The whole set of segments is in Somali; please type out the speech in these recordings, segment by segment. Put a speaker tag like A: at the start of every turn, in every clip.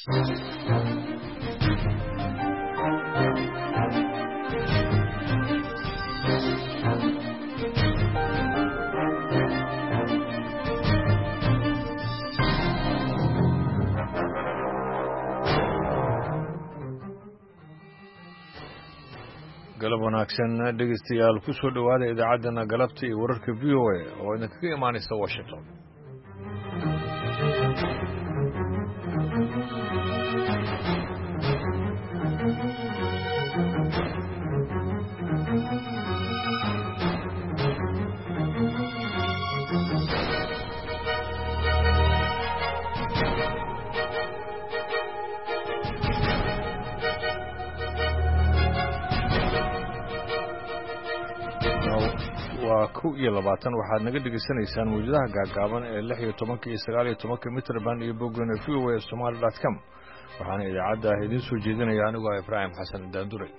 A: Galab wanaagsan, dhegeystayaal. Ku soo dhowaada idaacaddana galabta iyo wararka VOA oo idinkaga imaanaysa Washington. Waa 21. Waxaad naga dhegaysanaysaan mawjadaha gaagaaban ee 16-ka iyo 19-ka mitrban iyo boggana voasomali.com. Waxaana idaacadda idiin soo jeedinaya anigoo ah Ibraahim Xasan Daanduray.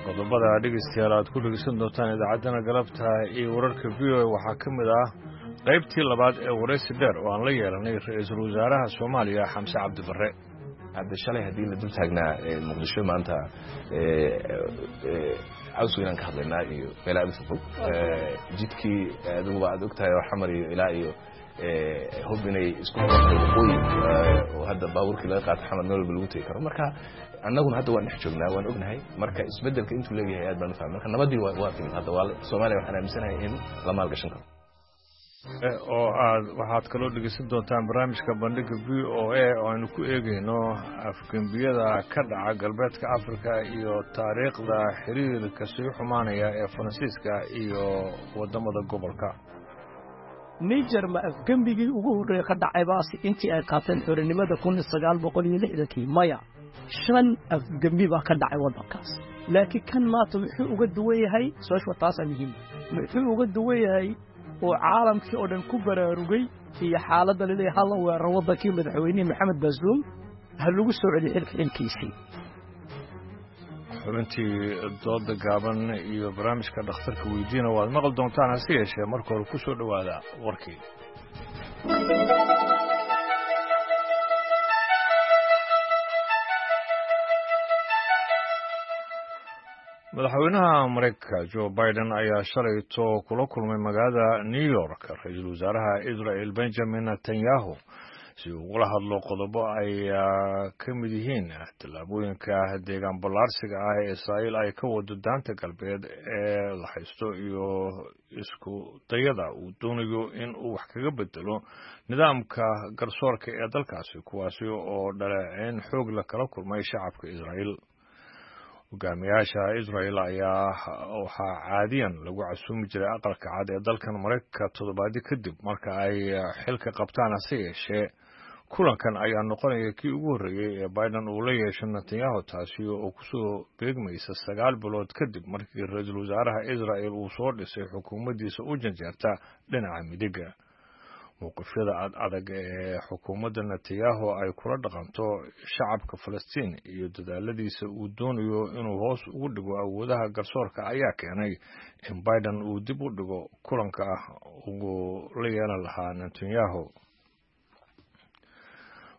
A: Qodobada, dhegeystayaal, aad ku dhegeysan doontaan idaacaddana galabta iyo wararka VOA waxaa ka mid ah qaybtii labaad ee waraysi dheer oo aan la yeelanay ra-iisul wasaaraha Soomaaliya, Xamse Cabdi Barre.
B: Hadda shalay haddii la dul taagnaa Muqdisho, maanta caws weynaan ka hadlaynaa iyo meel aad u fogfog. Jidkii adiguba aad og tahay oo Xamar iyo ilaa iyo hub inay isku xirtay waqooyi, oo hadda baabuurkii laga qaato Xamar meel walba lagu tegi karo. Marka annaguna hadda waan dhex joognaa, waan ognahay marka isbeddelka intuu leeyahay, aad baan u fahmay. Marka nabaddii waa timid hadda, waa Soomaaliya. Waxaan aaminsanahay in la maalgashan karo.
A: Oo aad waxaad kaloo dhegeysan doontaan barnaamijka bandhiga VOA oo aynu ku eegayno afgembiyada ka dhaca galbeedka Africa iyo taariikhda xiriirka sii xumaanaya ee Faransiiska iyo waddamada gobolka.
C: Niger ma afgembigii ugu horreeye ka dhacay baasi intii ay qaateen xorinimada 1960-kii? Maya, shan afgembi baa ka dhacay waddankaas. Laakiin kan maanta muxuu uga duwan yahay? Su-aashu taasaa muhiim. Muxuu uga duwan yahay oo caalamkii oo dhan ku baraarugay iyo xaaladda laleeyahay hala weeraro waddankii, madaxweynihii Maxamed Baasuum ha lagu soo celiyo xilka xilkiisii?
A: Xubintii dooda gaaban iyo barnaamijka dhakhtarka weydiina waad maqli doontaan, hase yeeshee marka hore ku soo dhowaada warkii. Madaxweynaha Maraykanka Joe Biden ayaa shalayto kula kulmay magaalada New York ra-iisul wasaaraha Israel Benjamin Netanyahu si uu ugula hadlo qodobo ay ka mid yihiin tallaabooyinka deegaan ballaarsiga ah ee Israa'iil ay ka wado Daanta Galbeed ee la haysto iyo isku dayada uu doonayo in uu wax kaga bedelo nidaamka garsoorka ee dalkaasi, kuwaasi oo dhaleeceyn xoog la kala kulmay shacabka Israa'iil. Hogaamiyaasha Israel ayaa waxaa caadiyan lagu casuumi jiray Aqalka Cad ee dalkan Maraykanka toddobaadyo kadib marka ay xilka qabtaan. Hase yeeshee kulankan ayaa noqonaya kii ugu horreeyey ee Biden uu la yeesho Netanyahu, taasi oo kusoo beegmaysa 9 bilood kadib markii ra-iisul wasaaraha Israel uu soo dhisay xukuumaddiisa u janjeerta dhinaca midiga. Mowqifyada ad adag ee xukuumadda Netanyahu ay kula dhaqanto shacabka Falastiin iyo dadaaladiisa uu doonayo inuu hoos ugu dhigo awoodaha garsoorka ayaa keenay in Biden uu dib u dhigo kulanka uu la yeelan lahaa Netanyahu.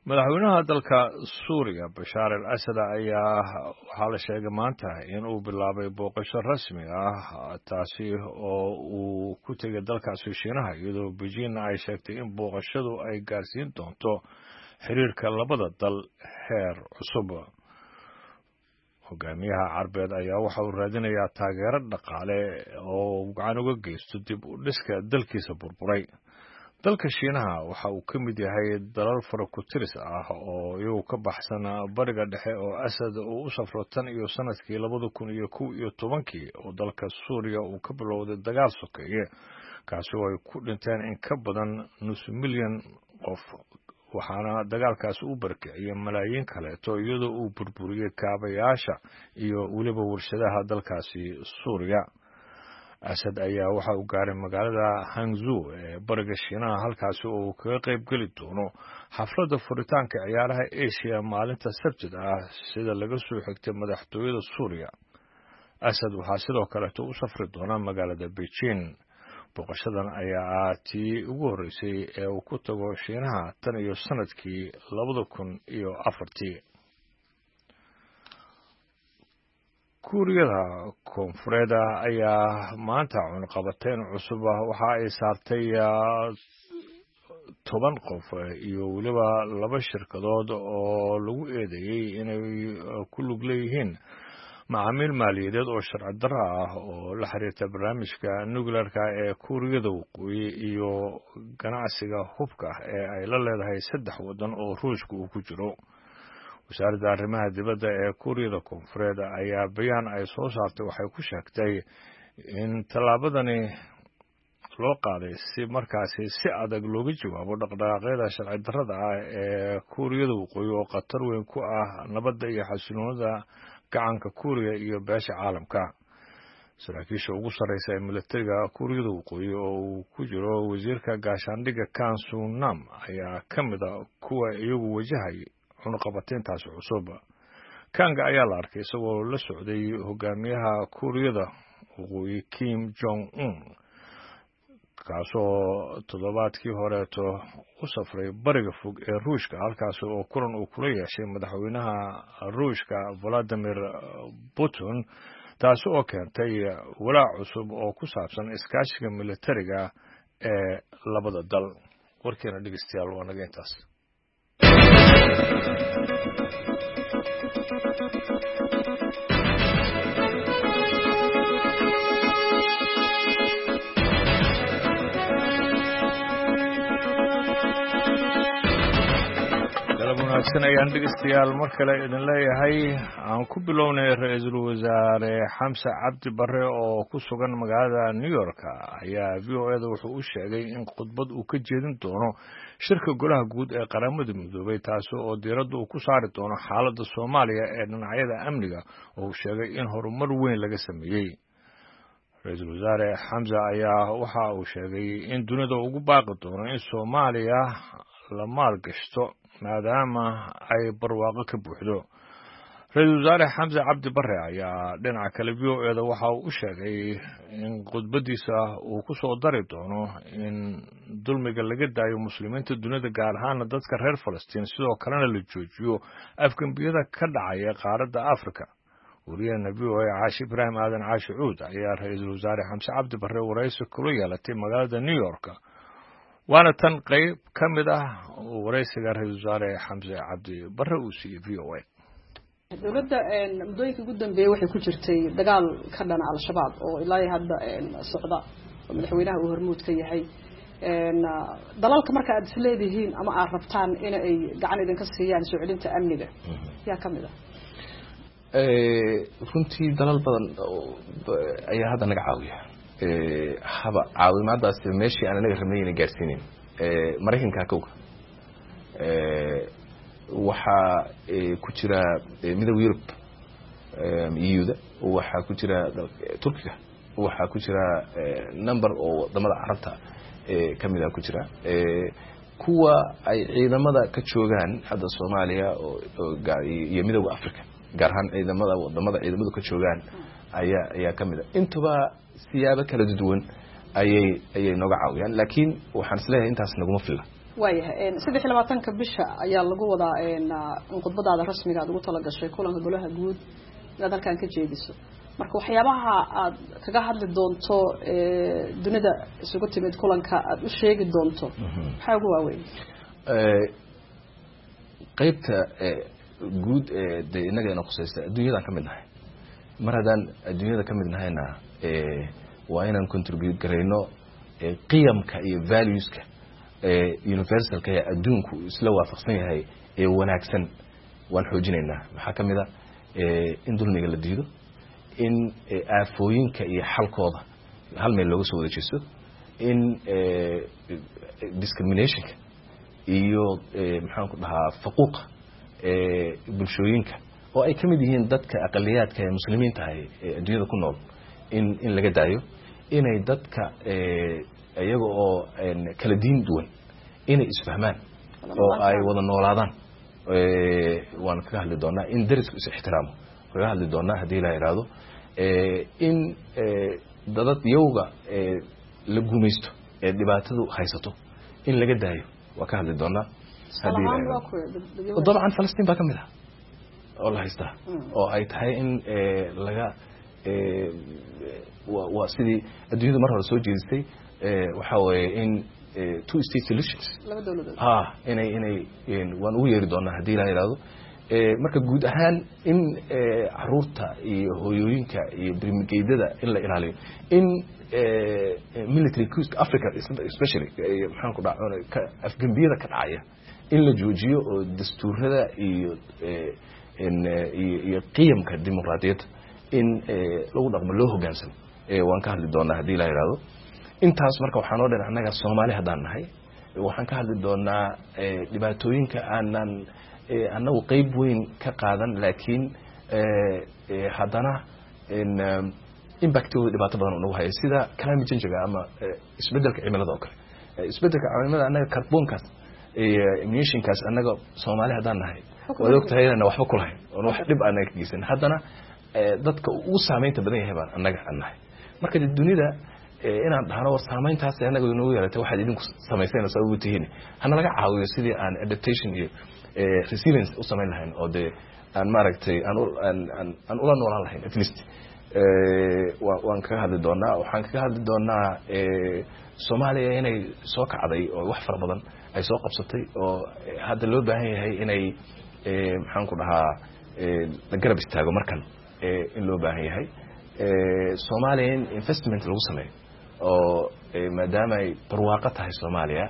A: Madaxweynaha dalka Suuriya Bashaar al Asad ayaa waxaa la sheegay maanta in uu bilaabay booqasho rasmi ah, taasi oo uu ku tegay dalkaasi Shiinaha, iyadoo Beijing ay sheegtay in booqashadu ay gaarsiin doonto xiriirka labada dal heer cusub. Hogaamiyaha Carbeed ayaa waxa uu raadinayaa taageero dhaqaale oo gacan uga geysto dib u dhiska dalkiisa burburay. Dalka Shiinaha waxa uu ka mid yahay dalal faraku-tiris ah oo iyagu ka baxsan Bariga Dhexe oo Asad uu u safro tan iyo sanadkii 2011-kii oo dalka Suuriya uu ka bilowday dagaal sokeeye, kaasi oo ay ku dhinteen in ka badan nus milyan qof, waxaana dagaalkaasi u barakiciyey malaayiin kaleeto, iyadoo uu burburiyey kaabayaasha iyo weliba warshadaha dalkaasi Suuriya. Asad ayaa waxa uu gaaray magaalada Hangzhou ee bariga Shiinaha, halkaasi oo uu kaga qayb geli doono xafladda furitaanka ciyaaraha Asia maalinta Sabtida ah, sida laga soo xigtay madaxtooyada Suuriya. Asad waxaa sidoo kaleeto u safri doona magaalada Beijing. Booqashadan ayaa ah tii ugu horreysay ee uu ku tago Shiinaha tan iyo sanadkii 2004. Kuuriyada Koonfureed ayaa maanta cunqabateyn cusub waxa ay saartay 10 qof iyo weliba 2 shirkadood oo lagu eedeeyey inay ku lug leeyihiin macaamiil maaliyadeed oo sharci darro ah oo la xiriirta barnaamijka nuclearka ee Kuuriyada Waqooyi iyo ganacsiga hubka ee ay la leedahay 3 waddan oo Ruushka uu ku jiro. Wasaaradda arrimaha dibadda ee Kuuriyada Koonfureed ayaa bayaan ay soo saartay waxay ku sheegtay in tallaabadani loo qaaday si markaasi si adag looga jawaabo dhaqdhaqaaqyada sharci darrada ah ee Kuuriyada Waqooyi oo khatar weyn ku ah nabadda iyo xasiloonida gacanka Kuuriya iyo beesha caalamka. Saraakiisha ugu sarreysa ee militariga Kuuriyada Waqooyi oo uu ku jiro wasiirka gaashaandhigga Kan Sunam ayaa ka mid a kuwa iyagu wajahay cunaqabateyntaasi cusub. Kanga ayaa la arkay isagoo la socday hogaamiyaha Kuuriyada Waqooyi Kim Jong Un, kaasoo toddobaadkii horeeto u safray bariga fog ee Ruushka, halkaas oo kulan uu kula yeeshay madaxweynaha Ruushka Valadimir Putin, taasi oo keentay walaac cusub oo ku saabsan iskaashiga militariga ee labada dal. Warkeena dhegeystayaal waa naga intaas. Galab wanaagsan ayaan dhegeystayaal mar kale idin leeyahay. Aan ku bilownay ra-iisul wasaare Xamse Cabdi Barre oo ku sugan magaalada New York ayaa VOA-da wuxuu u sheegay in khudbad uu ka jeedin doono shirka golaha guud ee Qaramada Midoobay, taasi oo diiradda uu ku saari doono xaaladda Soomaaliya ee dhinacyada amniga, oo uu sheegay in horumar weyn laga sameeyey. Ra-iisul wasaare Xamse ayaa waxa uu sheegay in dunida ugu baaqi doono in Soomaaliya la maalgashto maadaama ay barwaaqo ka buuxdo. Ra-iisul wasaare Xamse Cabdi Barre ayaa dhinaca kale VOA-da waxa uu u sheegay in khudbadiisa uu ku soo dari doono in dulmiga laga daayo muslimiinta dunida, gaar ahaana dadka reer Falastiin, sidoo kalena la joojiyo afgembiyada ka dhacaya qaaradda Afrika. Wariyahena VOA Caashi Ibraahim Aadan Caashi Cuud ayaa ra-iisul wasaare Xamse Cabdi Barre waraysi kula yeelatay magaalada New York, waana tan qayb ka mid ah waraysiga ra-iisul wasaare Xamse Cabdi Barre uu siiyey VOA.
D: Dowladda muddooyinka ugu dambeeyey waxay ku jirtay dagaal ka dhana Al-Shabaab oo ilaa hadda socda, oo madaxweynaha uu hormuud ka yahay. Dalalka marka aad isleedihiin ama aad rabtaan in ay gacan idinka siiyaan soo celinta amniga yaa ka mid ah?
B: Runtii dalal badan ayaa hadda naga caawiya. Haba caawimaadaasi meeshii aan inaga rabnay ina gaarsiinin. Maraykanka kowga waxaa ku jira Midowga Yurub, EU-da, waxaa ku jira Turkiga, waxaa ku jira number oo wadamada Carabta kamida ku jira, kuwa ay ciidamada ka joogaan hadda Soomaaliya iyo Midowga Africa, gaar ahaan ciidamada wadamada ciidamadu ka joogaan ayaa kamid a. Intuba siyaabo kala duwan ayay nooga caawiyaan, laakiin waxaan isleeyahay intaas naguma filla.
D: Waayahay, 23-ka bisha ayaa lagu wadaa in khudbadaada rasmiga aad ugu talagashay kulanka golaha guud inaad halkan ka jeediso. Marka waxyaabaha aad kaga hadli doonto dunida isugu timid kulanka aad u sheegi doonto maxaa ugu waaweyn?
B: Qaybta guud ee dee innaga ina khusaysta, adduunyadaan ka mid nahay. Mar haddaan adduunyada ka mid nahayna, waa inaan contribute garayno qiyamka iyo valueska universalka ee adduunku isla waafaqsan yahay ee wanaagsan waan xoojinaynaa. Maxaa ka mid a? In dulmiga la diido, in aafooyinka iyo xalkooda hal meel looga soo wada jeesto, in discriminationka iyo maxaan ku dhahaa faquuqa bulshooyinka oo ay ka mid yihiin dadka aqaliyaadka ee muslimiinta ahay ee adduunyada ku nool in laga daayo, Inay dadka iyaga oo kala diin duwan inay isfahmaan oo ay wada noolaadaan waan kaga hadli doonaa. In darisku is ixtiraamo kaga hadli doonaa haddii la yidhaahdo. In dadad yowga la gumaysto ee dhibaatadu haysato in laga daayo waa ka hadli doonaa. Dabcan Falastiin baa ka mid ah oo la haystaa oo ay tahay in laga waa sidii adduunyadu mar hore soo jeedisay, waxaa weeye in two state solutions ha inay waan ugu yeeri doonaa haddii la yidhahdo. Marka guud ahaan in caruurta iyo hooyooyinka iyo birmigeydada in la ilaaliyo, in military coups Africa especially, maxaan ku dhaca, afgembiyada ka dhacaya in la joojiyo oo dastuurada iyo qiyamka dimuqraadiyadda in lagu dhaqmo, loo hogaansamo, waan ka hadli doonaa haddii la yidhahdo. Intaas marka waxaa noo dhan annaga Soomaali haddaan nahay, waxaan ka hadli doonaa dhibaatooyinka aanan annagu qeyb weyn ka qaadan, laakiin haddana impactooda dhibaato badan unagu haya, sida climate change-ga ama isbeddelka cimilada oo kale. Isbeddelka cimilada annaga carbonkaas iyo emissionkaas annaga Soomaali haddaan nahay waad og tahay inaan waxba ku lahayn oon wax dhib annaga ka geysan, haddana dadka ugu saameynta badan yahay baan annaga aan nahay. Marka de dunida inaan dhahno war saameyntaas annaga inoogu yeelatay waxaad idinku samayseen sabab u tihiin, hana laga caawiyo sidii aan adaptation iyo resilience u samayn lahayn oo dee aan maaragtay aan ula noolaan lahayn at least, waan kaga hadli doonaa. Waxaan kaga hadli doonaa Soomaaliya inay soo kacday oo wax fara badan ay soo qabsatay oo hadda loo baahan yahay inay, maxaan ku dhahaa, la garab istaago markan in loo baahan yahay Soomaaliya in investment lagu sameeyo oo maadaama ay barwaaqo tahay Soomaaliya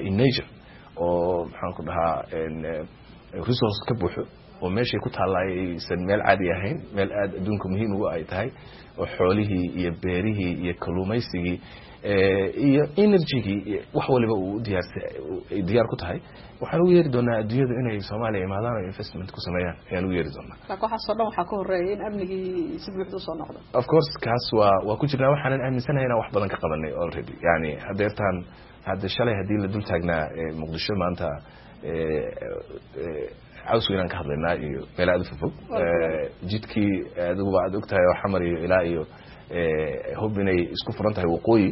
B: in nature oo, maxaan ku dhahaa, resource ka buuxo oo meeshay ku taalla aysan meel caadi ahayn, meel aada adduunka muhiim ugu ay tahay oo xoolihii iyo beerihii iyo kalluumaysigii iyo energygii iyo wax waliba uu diyaarsa ay diyaar ku tahay. Waxaan ugu yeeri doonaa adduunyadu inay Soomaaliya imaadaan oo investment ku sameeyaan ayaan ugu yeeri doonaa.
D: Laakiin waxaasoo dhan waxaa ka horreeya in amnigii si buuxda usoo noqdo.
B: Of course, kaas waa ku jirnaa. Waxaanan aaminsanahay inaan wax badan ka qabanay already. Yani hadeertaan hadda shalay haddii la dul taagnaa Muqdisho, maanta Caws Weynaan ka hadlaynaa iyo meel aada u fofog. Jidkii adiguba aad og tahay oo Xamar iyo ilaa iyo hub inay isku furan tahay waqooyi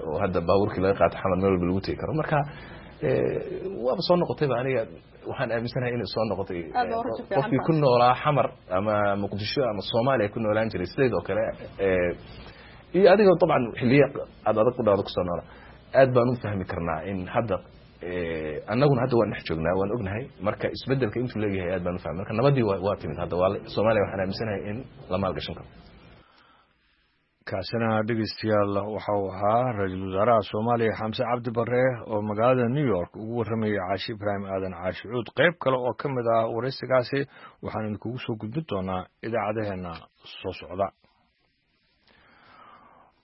B: oo hadda baabuurkii laga qaato Xamar meel walba lagu tegi karo. Marka waaba soo noqotayba, aniga waxaan aaminsanahay inay soo noqotay. Qofkii ku noolaa Xamar ama Muqdisho ama Soomaaliya ku noolaan jiray sideed oo kale iyo adiga dabcan xilliye aad adag ku dhawda kusoo noolaa, aad baan u fahmi karnaa in hadda annaguna hadda waan dhex joognaa, waan ognahay marka isbedelka intuu leeyahay, aad baan u fahmay. Marka nabadii waa timid hadda, waa Soomaaliya waxaan aaminsanahay in la maalgashan karo.
A: Kaasina dhegeystayaal waxa uu ahaa ra-iisul wasaaraha Soomaaliya Xamse Cabdi Barre oo magaalada New York ugu warramayay Caashi Ibraahim Aadan Caashi Cuud. Qayb kale oo ka mid ah waraysigaasi waxaan idinkugu soo gudbin doonaa idaacadaheenna soo socda.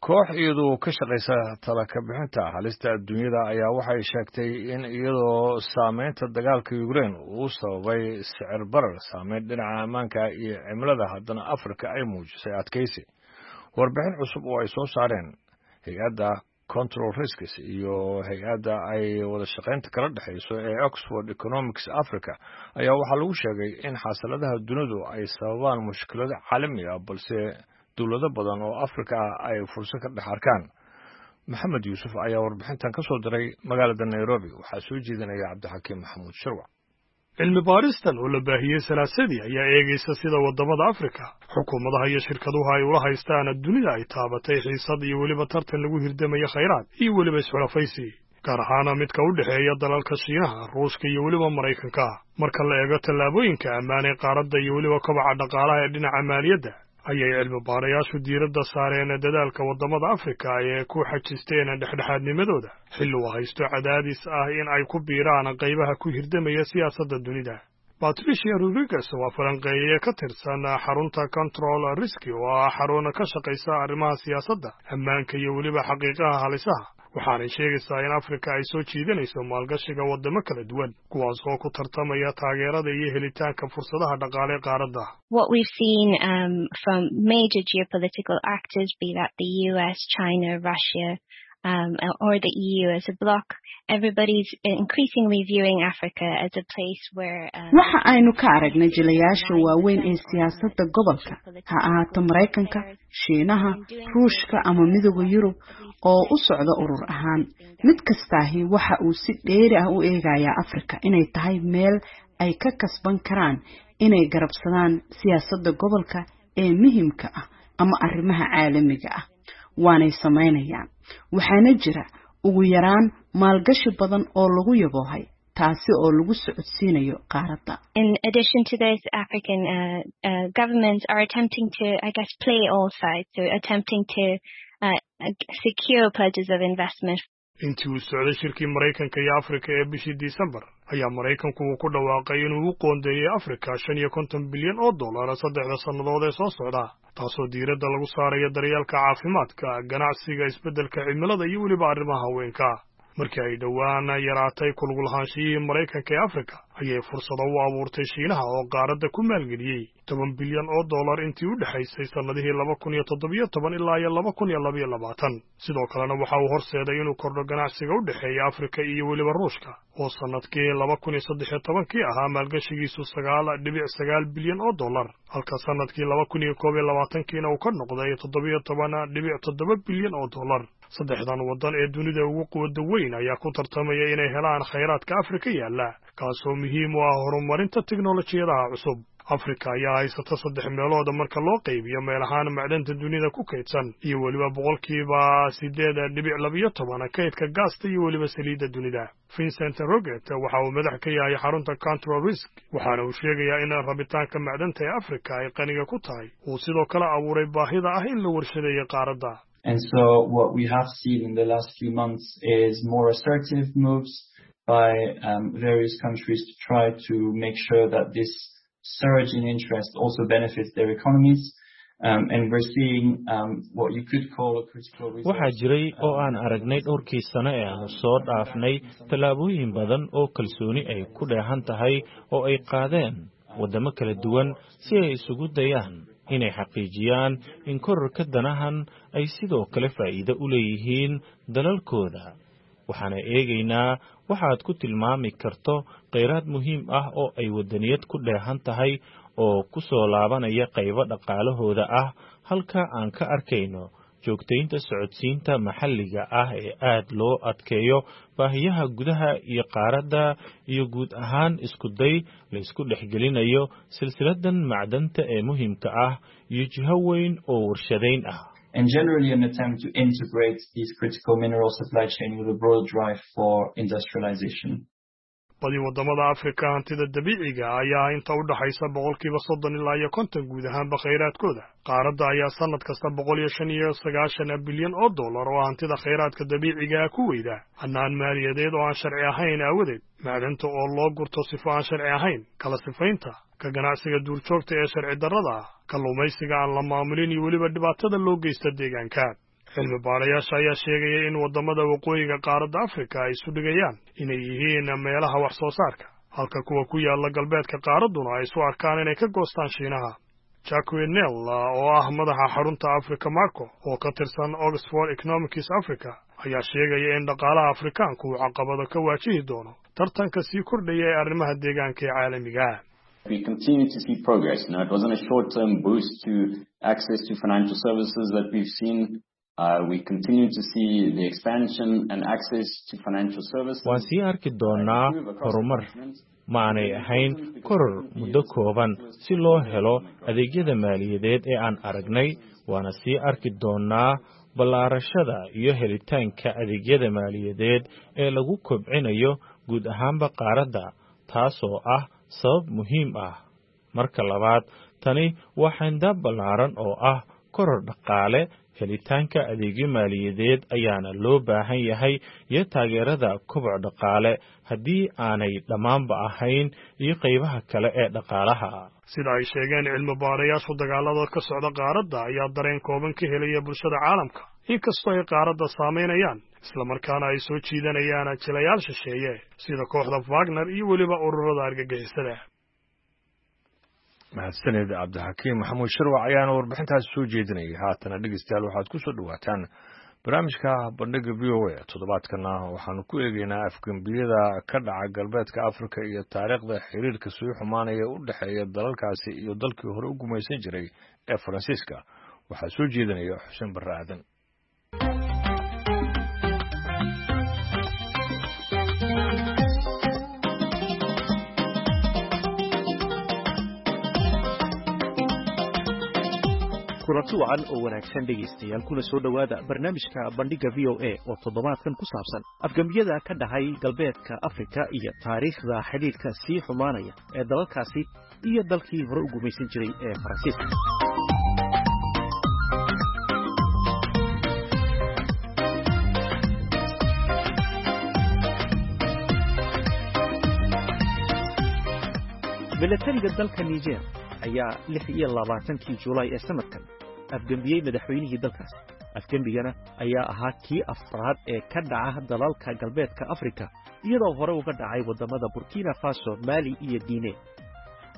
A: Koox iyadoo ka shaqaysa tala ka bixinta halista adduunyada ayaa waxay sheegtay in iyadoo saameynta dagaalka Ukraine uu sababay sicir barar, saameyn dhinaca ammaanka iyo cimilada, haddana Afrika ay muujisay adkaysi. Warbixin cusub oo ay soo saareen hay-adda Control Risks iyo hay-adda ay wada shaqaynta kala dhexayso ee Oxford Economics Africa ayaa waxaa lagu sheegay in xasiladaha dunidu ay sababaan mushkilado caalami ah, balse dowlado badan oo Afrika ah ay fursad ka dhex arkaan. Maxamed Yuusuf ayaa warbixintan ka soo diray magaalada Nairobi, waxaa soo jeedinaya Cabdixakiim Maxamuud Shirwac.
E: Cilmi baaristan oo la baahiyey Salaasadii ayaa eegaysa sida waddamada Afrika, xukuumadaha iyo shirkaduhu ay ula haystaan dunida ay taabatay xiisad iyo weliba tartan lagu hirdamaya khayraad iyo weliba isxulafaysi, gaar ahaana midka u dhexeeya dalalka Shiinaha, Ruushka iyo weliba Maraykanka. Marka la eego tallaabooyinka ammaan ee qaaradda iyo weliba kobaca dhaqaalaha ee dhinaca maaliyadda, ayay cilmi baarayaashu diiradda saareen dadaalka waddamada Afrika ee ku xajisteen dhexdhexaadnimadooda xilli uu haysto cadaadis ah in ay ku biiraan qaybaha ku hirdamaya siyaasadda dunida. Patricia Rodriguez waa falanqeeye ka tirsan xarunta Control Risk oo ah xarun ka shaqaysa arrimaha siyaasadda, ammaanka iyo weliba xaqiiqaha halisaha. Waxaanay sheegaysaa in Afrika ay soo jiidanayso maalgashiga waddamo kala duwan, kuwaas oo ku tartamaya taageerada iyo helitaanka fursadaha dhaqaale ee qaaradda.
F: What we've seen from major geopolitical actors, be that the US, China, Russia, or the EU as a bloc, everybody's increasingly viewing Africa as a place where
G: Waxa aynu ka aragnay jilayaasha waaweyn ee siyaasadda gobolka, ha ahaato Maraykanka, Shiinaha, Ruushka ama Midowda Yurub oo u socda urur ahaan, mid kastaahi waxa uu si dheeri ah u eegayaa Afrika inay tahay meel ay ka kasban karaan inay garabsadaan siyaasadda gobolka ee muhiimka ah ama arrimaha caalamiga ah. Waanay samaynayaan, waxaana jira ugu yaraan maalgashi badan oo lagu yaboohay, taasi oo lagu socodsiinayo qaaradda.
F: In addition to this, African governments are attempting to, I guess, play all sides, so attempting to secure pledges of investment.
E: Intii uu socday shirkii Maraykanka iyo Afrika ee bishii Disembar, ayaa Maraykanku uu ku dhawaaqay inuu u qoondeeyey Afrika 55 bilyan oo dollar 3da sannadood ee soo socda, taasoo diiradda lagu saarayo daryeelka caafimaadka, ganacsiga, isbeddelka cimilada iyo weliba arrimaha haweenka. Markii ay dhowaan yaraatay ku lug lahaanshiyihii Maraykanka ee Afrika, ayay fursado u abuurtay Shiinaha oo qaaradda ku maalgeliyey 10 bilyan oo dollar intii u dhexaysay sannadihii 2017 ilaa iyo 2022. Sidoo kalena waxa uu horseeday inuu kordho ganacsiga u dhexeeya Afrika iyo weliba Ruushka, oo sannadkii 2013kii ahaa maalgashigiisu 9.9 bilyan oo dollar, halka sannadkii 2021kiina uu ka noqday 17.7 bilyan oo dollar. Saddexdan waddan ee dunida ugu quwadda weyn ayaa ku tartamaya inay helaan khayraadka Afrika yaalla, kaasoo muhiim u ah horumarinta tiknolojiyadaha cusub. Afrika ayaa haysata saddex meelooda marka loo qaybiyo meel ahaan macdanta dunida ku kaydsan, iyo weliba 8.12% kaydka gaasta iyo weliba saliidda dunida. Vincent Roget waxa uu madax ka yahay xarunta Control Risk, waxaana uu sheegayaa in rabitaanka macdanta ee Afrika ay qaniga ku tahay uu sidoo kale abuuray baahida ah in la warshadeeyo qaaradda.
H: And so what we have seen in the last few months is more assertive moves by various countries to try to make sure that this surge in interest also benefits their economies. And we're seeing what you could call a critical
I: Waxaa jiray oo aan aragnay dhowrkii sano ee aanu soo dhaafnay tallaabooyin badan oo kalsooni ay ku dheehan tahay oo ay qaadeen waddamo kala duwan si ay isugu dayaan inay xaqiijiyaan in kororka danahan ay sidoo kale faa'iido u leeyihiin dalalkooda. Waxaana eegaynaa waxaad ku tilmaami karto kheyraad muhiim ah oo ay waddaniyad ku dheehan tahay oo ku soo laabanaya qaybo dhaqaalahooda ah, halka aan ka arkayno joogtaynta socodsiinta maxalliga ah ee aad loo adkeeyo baahiyaha gudaha iyo qaaradda, iyo guud ahaan isku day la isku dhexgelinayo silsiladan macdanta ee muhiimka ah iyo jiho weyn oo warshadayn ah.
H: And generally an attempt to integrate these critical mineral supply chain with a broad drive for industrialization.
E: Badi waddamada Afrika hantida dabiiciga ayaa inta u dhaxaysa 30% ilaa iyo 50 guud ahaanba khayraadkooda. Qaaradda ayaa sannad kasta 195 bilyan oo dollar oo hantida khayraadka dabiiciga ku weyda hannaan maaliyadeed oo aan sharci ahayn aawadeed, macdanta oo loo gurto sifo aan sharci ahayn, kala sifaynta, ka ganacsiga duurjoogta ee sharci darrada ah, kalluumaysiga aan la maamulin iyo weliba dhibaatada loo geysta deegaanka. Cilmi baarayaasha ayaa sheegaya in waddamada waqooyiga qaaradda Afrika ay isu dhigayaan inay yihiin meelaha wax soo saarka, halka kuwa ku yaalla galbeedka qaaradduna ay isu arkaan inay ka goostaan Shiinaha. Jacqui Nel, oo ah madaxa xarunta Africa Macro oo ka tirsan Oxford Economics Africa, ayaa sheegaya in dhaqaalaha Afrikaanku uu caqabado ka waajihi doono tartanka sii kordhaya ee arrimaha deegaanka ee caalamiga ah.
J: We continue to see progress. Now, it wasn't a short-term boost to access to financial services that we've seen. We continue to see the expansion and access to financial services.
I: Waan sii arki doonaa horumar. Ma aanay ahayn koror muddo kooban si loo helo adeegyada maaliyadeed ee aan aragnay, waana sii arki doonaa ballaarashada iyo helitaanka adeegyada maaliyadeed ee lagu kobcinayo guud ahaanba qaaradda, taasoo ah sabab muhiim ah. Marka labaad, tani waa xayndaab ballaaran oo ah koror dhaqaale. Helitaanka adeegyo maaliyadeed ayaana loo baahan yahay iyo taageerada koboc dhaqaale, haddii aanay dhammaanba ahayn iyo qaybaha kale ee dhaqaalaha.
E: Sida ay sheegeen cilmi baarayaashu, dagaalada ka socda qaaradda ayaa dareen kooban ka helaya bulshada caalamka, inkastoo ay qaaradda saamaynayaan. Islamarkaana ay soo jiidanayaan jilayaal shisheeye sida kooxda Wagner iyo weliba ururada argagixisada.
A: Mahadsaned Cabdixakiim Maxamuud Sharwac ayaana warbixintaasi soo jeedinayay. Haatana dhegeystayaal, waxaad ku soo dhowaataan barnaamijka Bandhiga VOA. Toddobaadkana waxaanu ku eegeynaa afgembiyada ka dhaca galbeedka Afrika iyo taariikhda xiriirka sii xumaanaya u dhexeeya dalalkaasi iyo dalkii hore u gumaysan jiray ee Faransiiska. Waxaa soo jeedinaya Xuseen Barre Aadan.
K: Kulanti wacan oo wanaagsan dhegaystayaal, kuna soo dhowaada barnaamijka Bandhigga VOA oo toddobaadkan ku saabsan afgembiyada ka dhacay galbeedka Afrika iyo taariikhda xidhiidhka sii xumaanaya ee dalalkaasi iyo dalkii hore u gumaysan jiray ee Faransiiska. Milatariga dalka Niger ayaa 26-kii Julaay ee sanadkan afgembiyey madaxweynihii dalkaas. Afgembigana ayaa ahaa kii afraad ee ka dhaca dalalka galbeedka Afrika, iyadoo hore uga dhacay waddamada Burkina Faso, Maali iyo Guinea.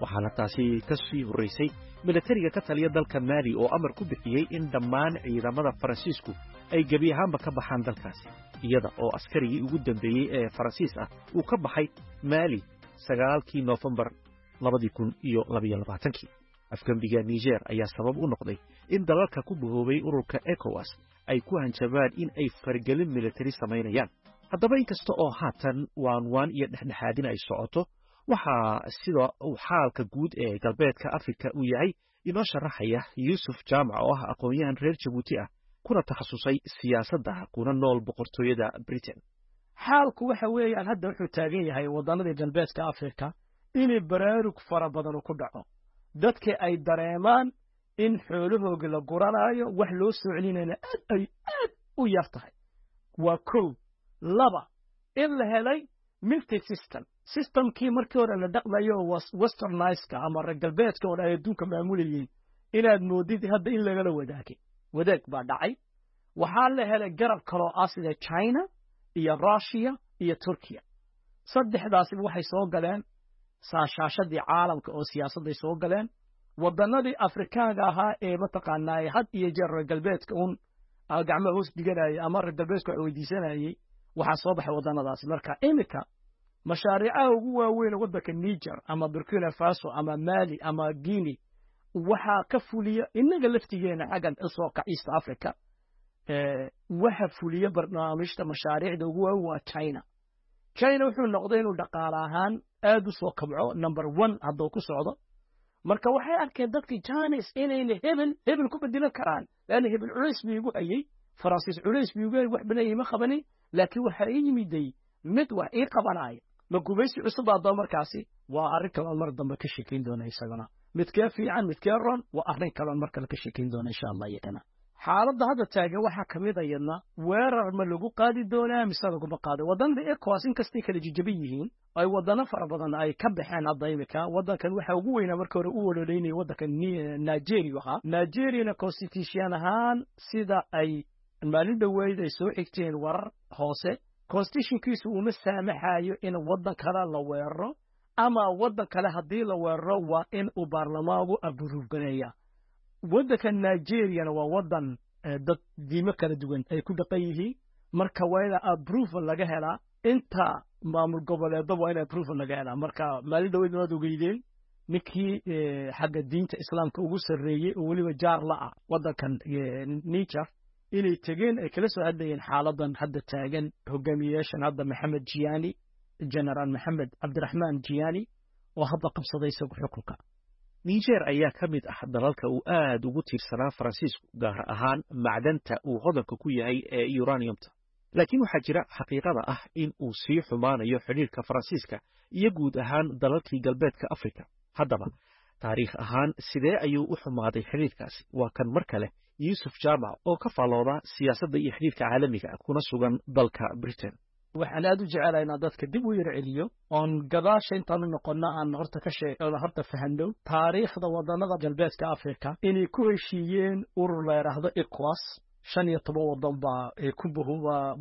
K: Waxaana taasi ka sii horraysay milatariga ka taliya dalka Maali oo amar ku bixiyey in dhammaan ciidamada Faransiisku ay gebi ahaanba ka baxaan dalkaasi, iyada oo askarigii ugu dambeeyey ee Faransiis ah uu ka baxay Maali 9-kii Noofembar 2022-kii. Afgembiga Niger ayaa sabab u noqday in dalalka ku bahoobay ururka ECOWAS ay ku hanjabaan in ay fargelin militari samaynayaan. Haddaba, inkasta oo haatan waanwaan iyo dhexdhexaadin ay socoto, waxaa sida uu xaalka guud ee galbeedka Afrika uu yahay inoo sharaxaya Yuusuf Jaamac oo ah aqoon-yahan reer Jabuuti ah, kuna takhasusay siyaasadda, kuna nool Boqortooyada Britain.
C: Xaalku waxa weeyaan hadda wuxuu taagan yahay waddanadii galbeedka Afrika inay baraarug fara badan ku dhaco, dadka ay dareemaan in xoolahooga la guranaayo, wax loo soo celinayna aad ay aad u yar tahay. Waa kow. Laba, in la helay multi system, systemkii markii hore la dhaqmayo westernizeka ama reer galbeedka oo ay adduunka maamulayeen, inaad moodid hadda in lagala wadaagay, wadaag baa dhacay. Waxaa la helay garab kaloo ah sida China iyo Russia iyo Turkiya. Saddexdaasiba waxay soo galeen saashaashadii caalamka oo siyaasadday soo galeen. Waddanadii Afrikaanka ahaa ee mataqaanaa had iyo jeer reer galbeedka uun gacmaha hoos dhiganayay ama reer galbeedka wax weydiisanayay, waxaa soo baxay waddanadaasi. Marka iminka mashaariicaha ugu waaweyn waddanka Niger ama Burkina Faso ama Mali ama Guinea waxaa ka fuliya, innaga laftigeena xaggan usoo kac East Africa, waxa fuliya barnaamijta mashaariicda ugu waaweyn waa China. China wuxuu noqday inuu dhaqaale ahaan aad u soo kabco, number one hadduu ku socdo. Marka waxay arkeen dadkii Chinese inayna hebel hebel ku bedelan karaan, laanna hebel culays buu igu hayay, Faransiis culays buu igu hayay, wax badan ima qabanin, laakiin waxaa ii yimiday mid wax ii qabanaya. Ma gumaysi cusub baa markaasi? Waa arrin kale oon mar dambe ka sheekayn doona isagana. Midkee fiican, midkee ron, waa arrin kale oon mar kale ka sheekayn doona insha Allah. Iyagana xaaladda hadda taagan waxaa ka mid ayadna weerar ma lagu qaadi doonaa mise laguma qaado waddanada ECOWAS? Inkastay kala jijaban yihiin, ay waddano fara badan ay ka baxeen hadda imika, waddankan waxa ugu weynaa marka hore u ololeynaya waddanka Nigeria ahaa. Nigeriana constitution ahaan, sida ay maalin dhoweyd ay soo xigteen warar hoose, constitutionkiisu uma saamaxayo in waddan kale la weeraro, ama waddan kale haddii la weeraro waa in uu baarlamaanku approve gareeya. Waddanka Nigeriana waa waddan dad diimo kala duwan ay ku dhaqan yihiin, marka waa ina approval laga helaa inta maamul goboleedba, waa in approval laga helaa. Marka maalin dhaweyd waad ogeydeen ninkii xagga diinta Islaamka ugu sarreeyey oo weliba jaar la ah waddankan Niger inay tegeen, ay kala soo hadlayeen xaaladan hadda taagan hogaamiyeyaashan hadda Maxamed Jiani, Generaal Maxamed Cabdiraxmaan Jiani oo hadda qabsaday isagu xukunka.
K: Niger ayaa ka mid ah dalalka uu aad ugu tiirsanaa Faransiisku, gaar ahaan macdanta uu hodanka ku yahay ee uraniumta. Laakiin waxaa jira xaqiiqada ah in uu sii xumaanayo xidhiirka Faransiiska iyo guud ahaan dalalkii galbeedka Afrika. Haddaba, taariikh ahaan sidee ayuu u xumaaday xidhiirkaasi? Waa kan mar kale Yuusuf Jaamac oo ka faallooda siyaasadda iyo xidhiirka caalamiga, kuna sugan dalka Britain.
C: Waxaan aad u jecelahay inaan dadka dib u yar celiyo oon gadaasha intaanu noqonno aan horta ka shee horta fahanno taariikhda wadannada galbeedka Afrika inay ku heshiiyeen urur la yidhaahdo ECOWAS. 15 waddan baa ku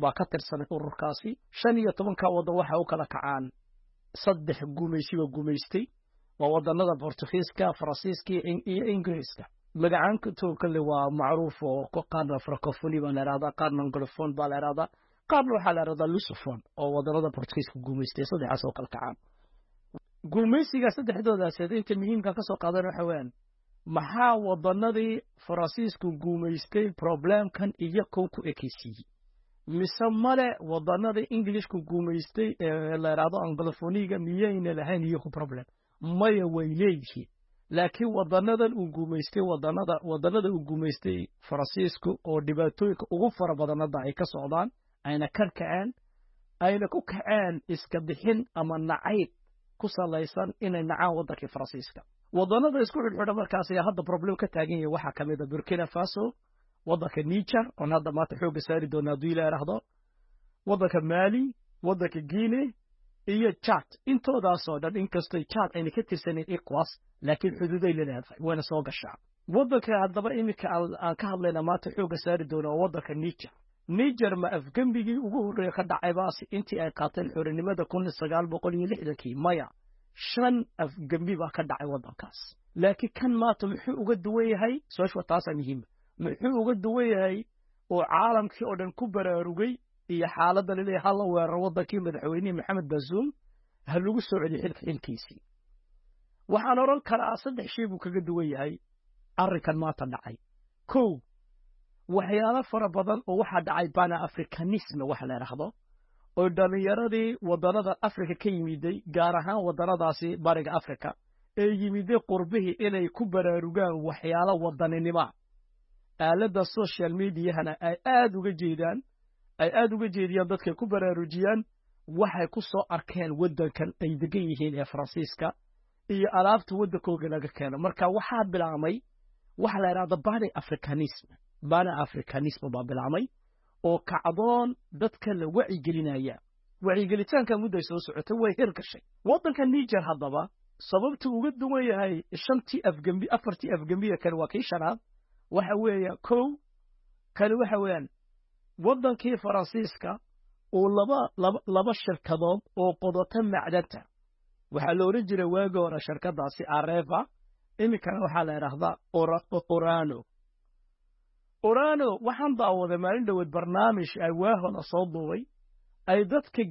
C: baa ka tirsan ururkaasi. 15-ka waddan waxa u kala kacaan saddex gumaysiba gumaystay, waa wadannada Bortugiiska, Faransiiska iyo Ingiriiska. Magacaantoo kale waa macruuf, oo qaarna Francophonie baa la ihahdaa, qaarna Anglophone baa la ihahdaa, qaarna waxaa la ihahdaa Lusophone, oo wadannada Bortugiiska gumaystay saddexaas oo kala kacaan gumaysiga saddexdoodaas. Inta muhiimka ka soo qaadan waxa weeyaan, maxaa wadannadii Faransiisku gumaystay problemkan iyo kow ku ekeysiiyey, mise male wadannadii Englishku gumaystay ee la idhaahdo Anglophoniga miyayna lahayn iyaku problem? Maya, way leeyihiin, laakiin wadanadan uu gumaystay, wadanada uu gumaystay Faransiisku oo dhibaatooyinka ugu fara badan hadda ay ka socdaan, ayna ka kaceen, ayna ku kaceen iska bixin ama nacayb ku salaysan inay nacaan waddankii Faransiiska. Wadanada isku xidhxidha markaas ayaa hadda problem ka taagan yahay waxaa ka mid a Burkina Faso, waddanka Niger oon hadda maanta xoogga saari doona hadduu Ilaa idhaahdo, waddanka Mali, waddanka Guinea iyo Chad. Intoodaasoo dhan, inkastoo Chad ayna ka tirsanayn ECOWAS, laakiin xuduuday la leedahay, wayna soo gashaa. Waddanka haddaba iminka aan ka hadlayna maanta xoogga saari doona waa waddanka Niger. Niger ma afgembigii ugu horreeya ka dhacay baasi intii ay qaateen xorinimada 1960-kii? Maya, shan afgembi baa ka dhacay waddankaas. Laakiin kan maanta muxuu uga duwan yahay? Su-aashu waa taasaa muhiima. Muxuu uga duwan yahay oo caalamkii oo dhan ku baraarugay iyo xaaladda laleeyahay hala weeraro waddankii, madaxweynihii Maxamed Bazoum ha lagu soo celiyo xilka xilkiisii? Waxaan odhan karaa saddex shay buu kaga duwan yahay arrinkan maanta dhacay. Kow, waxyaalo fara badan oo waxaa dhacay Pan Africanism waxa la idhaahdo, oo dhallinyaradii wadannada Afrika ka yimiday, gaar ahaan wadannadaasi Bariga Afrika ee yimiday qurbihii, inay ku baraarugaan waxyaalo wadaninimoa, aaladda social mediahana ay aad uga jeedaan, ay aad uga jeediyaan, dadkay ku baraarujiyaan waxay ku soo arkeen waddankan ay degan yihiin ee Faransiiska iyo alaabta waddankooga laga keeno. Marka waxaa bilaabmay waxa la idhahda Pan Africanism. Pan Africanism baa bilaabmay oo kacdoon dadka la wacyigelinaya. Wacyigelitaanka mudday soo socotay, way hirgashay. Waddanka Niger haddaba sababta uga duwan yahay shantii afgembi, afartii afgembiya kale, waa kii shanaad, waxa weeya kow kale waxa weeyaan waddankii Faransiiska uu laba shirkadood oo qodota macdanta. Waxaa la odhan jiray waagi hore shirkadaasi Areva, iminkana waxaa la idhaahdaa Orano. Orano waxaan daawaday maalin dhoweed barnaamij ay waahona soo duubay, ay dadka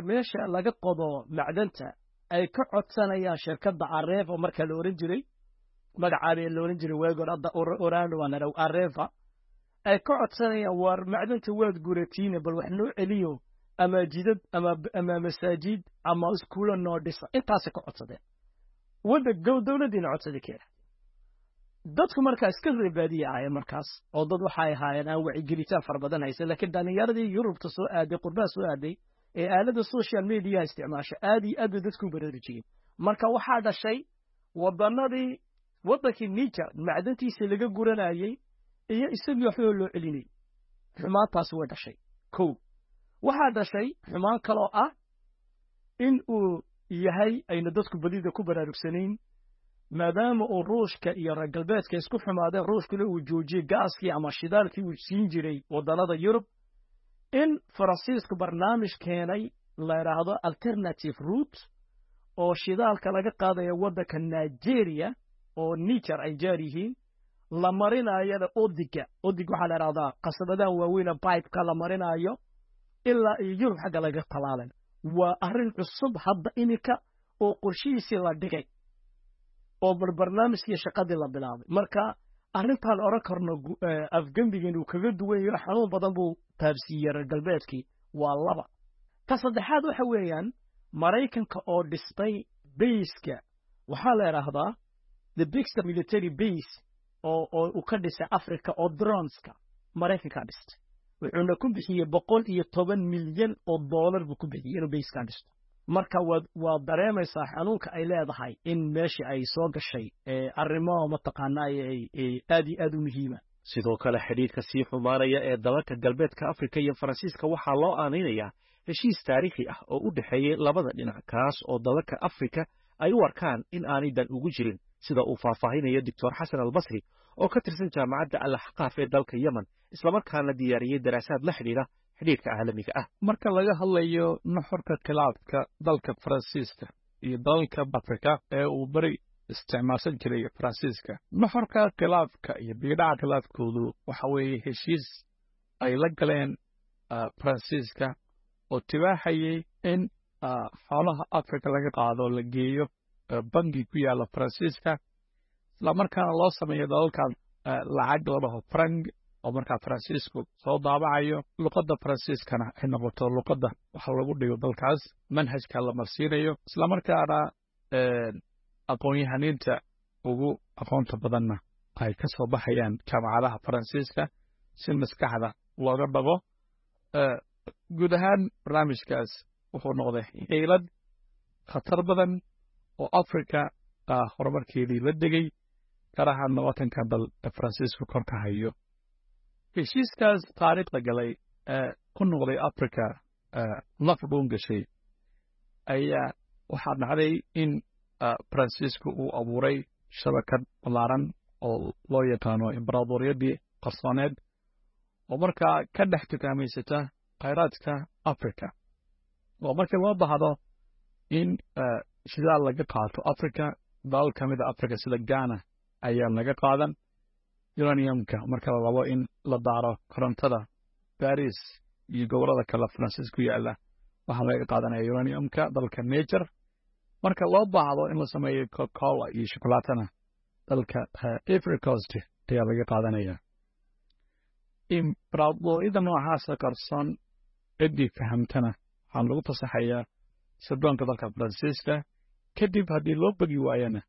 C: meesha laga qodo macdanta ay ka codsanayaan shirkadda Areva, marka la odhan jiray magacaabee la odhan jiray waagi hore, hadda Orano waa la Areva, ay ka codsanayaan: "Waar macdanta waad guratiine, bal wax noo celiyo, ama jidad ama masaajid ama iskuulo noo dhisa." Intaasay ka codsadeen wadda dowladdiina codsaday keena. Dadku markaa iska reebaadiya ahaayeen markaas, oo dad waxay ahaayeen aan wacigelitaan fara badan haysan, laakiin dhallinyaradii Yurubta soo aaday, qurbaha soo aaday ee aaladda social mediaha isticmaasha, aad iyo aad bay dadku baraarujiyeen. Marka waxaa dhashay wadanadii, waddankii Niger macdantiisa laga guranayey iyo isagii waxba loo celinayay. Xumaantaasi way dhashay. Kow, waxaa dhashay xumaan kaloo ah in uu yahay ayna dadku badida ku baraarugsanayn, maadaama uu Ruushka iyo reer galbeedka isku xumaadeen, Ruushkuna uu joojiyey gaaskii ama shidaalkii uu siin jiray waddannada Yurub, in Faransiisku barnaamij keenay la idhaahdo alternative route, oo shidaalka laga qaadaya waddanka Nigeria oo Niger ay jaar yihiin, la marinayana odiga. Odig waxaa la idhahdaa qasabadaha waaweyna pipeka la marinaayo ilaa iyo Yurub xagga laga talaalan. Waa arrin cusub hadda iminka oo qorshihiisii la dhigay oo barnaamijkii shaqadii la bilaabay. Marka arrintaan odhan karno afgembigan uu kaga duwan yaho, xanuun badan buu taabsiiyey reer galbeedkii, waa laba. Ta saddexaad waxa weeyaan Maraykanka oo dhistay baseka, waxaa la idhaahdaa the big military base, oo uu ka dhisay Africa, oo droneska Maraykankaa dhistay, wuxuuna ku bixiyey $110 milyan buu ku bixiyey inuu basekaa dhisto. Marka waad dareemaysaa xanuunka ay leedahay in meesha ay soo gashay arrimo mataqaanaa aad iyo aad u muhiima.
K: Sidoo kale, xidhiidhka sii xumaanaya ee dalalka Galbeedka Afrika iyo Faransiiska waxaa loo aanaynayaa heshiis taariikhi ah oo u dhexeeyey labada dhinac, kaas oo dalalka Afrika ay u arkaan in aanay dan ugu jirin Sida uu faahfaahinayo Doctor Xasan Albasri oo ka tirsan Jaamacadda Al Axqaaf ee dalka Yemen, islamarkaana diyaariyey daraasaad la xidhiidha xidhiidhka caalamiga ah.
L: Marka laga hadlayo nuxurka khilaafka dalka Faransiiska iyo dalalka Afrika ee uu beri isticmaalsan jiray Faransiiska, nuxurka khilaafka iyo biidhaca khilaafkoodu waxa weeye heshiis ay la galeen Faransiiska oo tibaaxayay in xoolaha Afrika laga qaado, la geeyo bangi ku yaalla Faransiiska, islamarkaana loo sameeyo dalalkan lacag la dhaho franc oo markaa Faransiisku soo daabacayo, luqadda Faransiiskana ay noqoto luqadda wax lagu dhigo dalkaas, manhajka la marsiinayo, islamarkaana aqoon-yahaniinta ugu aqoonta badanna ay ka soo baxayaan jaamacadaha Faransiiska si maskaxda looga dhabo. Guud ahaan barnaamijkaas wuxuu noqday xiilad khatar badan oo Afrika horumarkeedii la degay, gaar ahaan 20-ka dal ee Faransiisku kor ka hayo. Heshiiskaas taariikhda galay ee ku noqday Africa laf dhuun gashay ayaa waxaa dhacday in Faransiisku uu abuuray shabakad ballaaran oo loo yaqaano imbaraadoriyadii qarsooneed, oo markaa ka dhex tukaamaysata khayraadka Africa, oo markii loo baahdo in shidaal laga qaato Africa, dalal ka mid a Africa sida Ghana ayaa laga qaadan uraniumka. Marka la rabo in la daaro korontada, Paris iyo gobollada kale Faransiis ku yaala waxaa laga qaadanaya uraniumka dalka Niger. Marka loo baahdo in la sameeyo Coca-Cola iyo shokolaatana, dalka Ivory Coast ayaa laga qaadanaya. Imbaraadoriyada noocaasa qarsoon ciddii fahamtana waxaa lagu fasaxayaa sirdoonka dalka Faransiiska. Kadib haddii loo bogi waayana,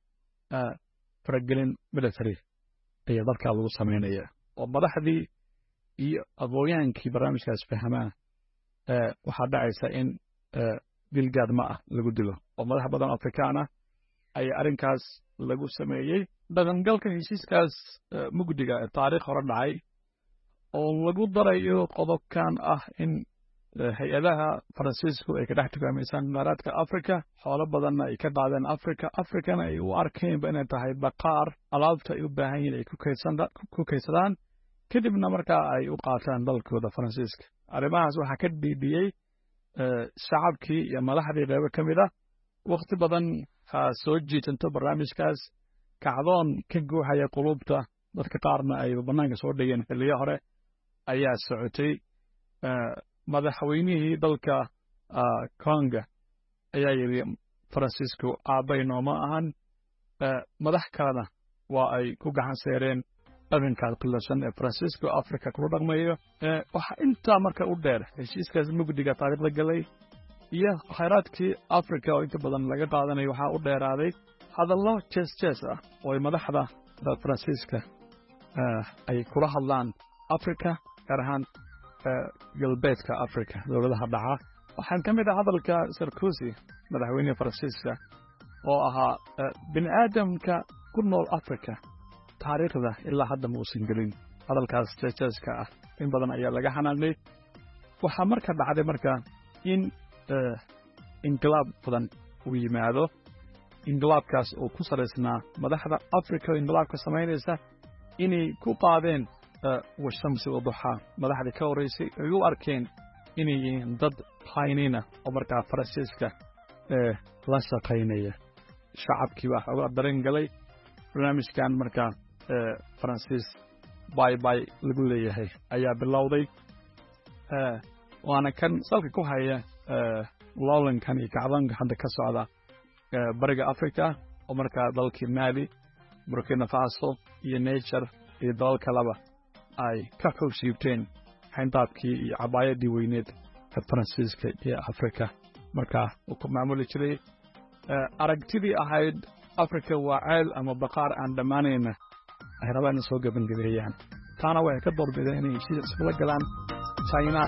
L: faragelin military ayaa dalkaa lagu samaynaya, oo madaxdii iyo aqoonyahaankii barnaamijkaas fahmaa waxaa dhacaysa in dilgaad ma ah lagu dilo, oo madax badan Afrikaan ah ayaa arrinkaas lagu sameeyey. Dhaqangalka heshiiskaas mugdiga ee taariikh hore dhacay oo lagu darayo qodobkan ah in hay-adaha Faransiisku ay ka dhex tukaamaysaan kheyraadka Africa, xoolo badanna ay ka qaadeen Africa, Africana ay u arkeenba inay tahay baqaar alaabta ay u baahan yihin ay ku kaydsadaan, kadibna markaa ay u qaataan dalkooda Faransiiska. Arrimahaas waxaa ka dhiidhiyey shacabkii iyo madaxdii qeybo ka mid ah. Wakhti badan ha soo jiitanto barnaamijkaas, kacdoon ka guuxaya quluubta dadka qaarna ay bannaanka soo dhigeen xilliyo hore ayaa socotay. Madaxweynihii dalka Conga ayaa yidhi Faransiisku aabbay nooma ahan. Madax kalena waa ay ku gacan seereen dhaqankaas qilafsan ee Faransiisku Africa kula dhaqmayo. Waxaa intaa marka u dheer heshiiskaas mugdiga taariikhda galay iyo khayraadkii Africa oo inta badan laga qaadanayo, waxaa u dheeraaday hadallo jees jees ah oo ay madaxda Faransiiska ay kula hadlaan Africa, gaar ahaan galbeedka Africa dowladaha dhaca. Waxaan ka mid ah hadalka Sarkozy, madaxweyneha Faransiiska, oo ahaa bini aadamka ku nool Africa taariikhda ilaa hadda ma uusan gelin. Hadalkaas jeesjeeska ah in badan ayaa laga xanaaqay. Waxaa marka dhacday marka in inqilaab badan uu yimaado, inqilaabkaas oo ku salaysnaa madaxda Africa oo inqilaabka samaynaysa inay ku qaadeen washamsi waduxaa madaxdii ka horreysay ay u arkeen inay yihiin dad khaa'iniina oo markaa Faransiiska la shaqaynaya. Shacabkii baa xoogaa dareen galay. Barnaamijkan markaa Faransiis bay bay lagu leeyahay ayaa bilowday, waana kan salka ku haya loolankan iyo kacdoonka hadda ka socda bariga Africa, oo markaa dalkii Mali, Burkina Faso iyo Niger iyo dalal kaleba ay ka xoog siibteen xayndaabkii iyo cabaayadii weyneed ee Faransiiska iyo Africa markaa uu ku maamuli jiray. Aragtidii ahayd Africa waa ceel ama baqaar aan dhammaanayna ay rabaan in soo gebangabeeyaan, taana waxay ka doorbideen inay heshiis iskula galaan China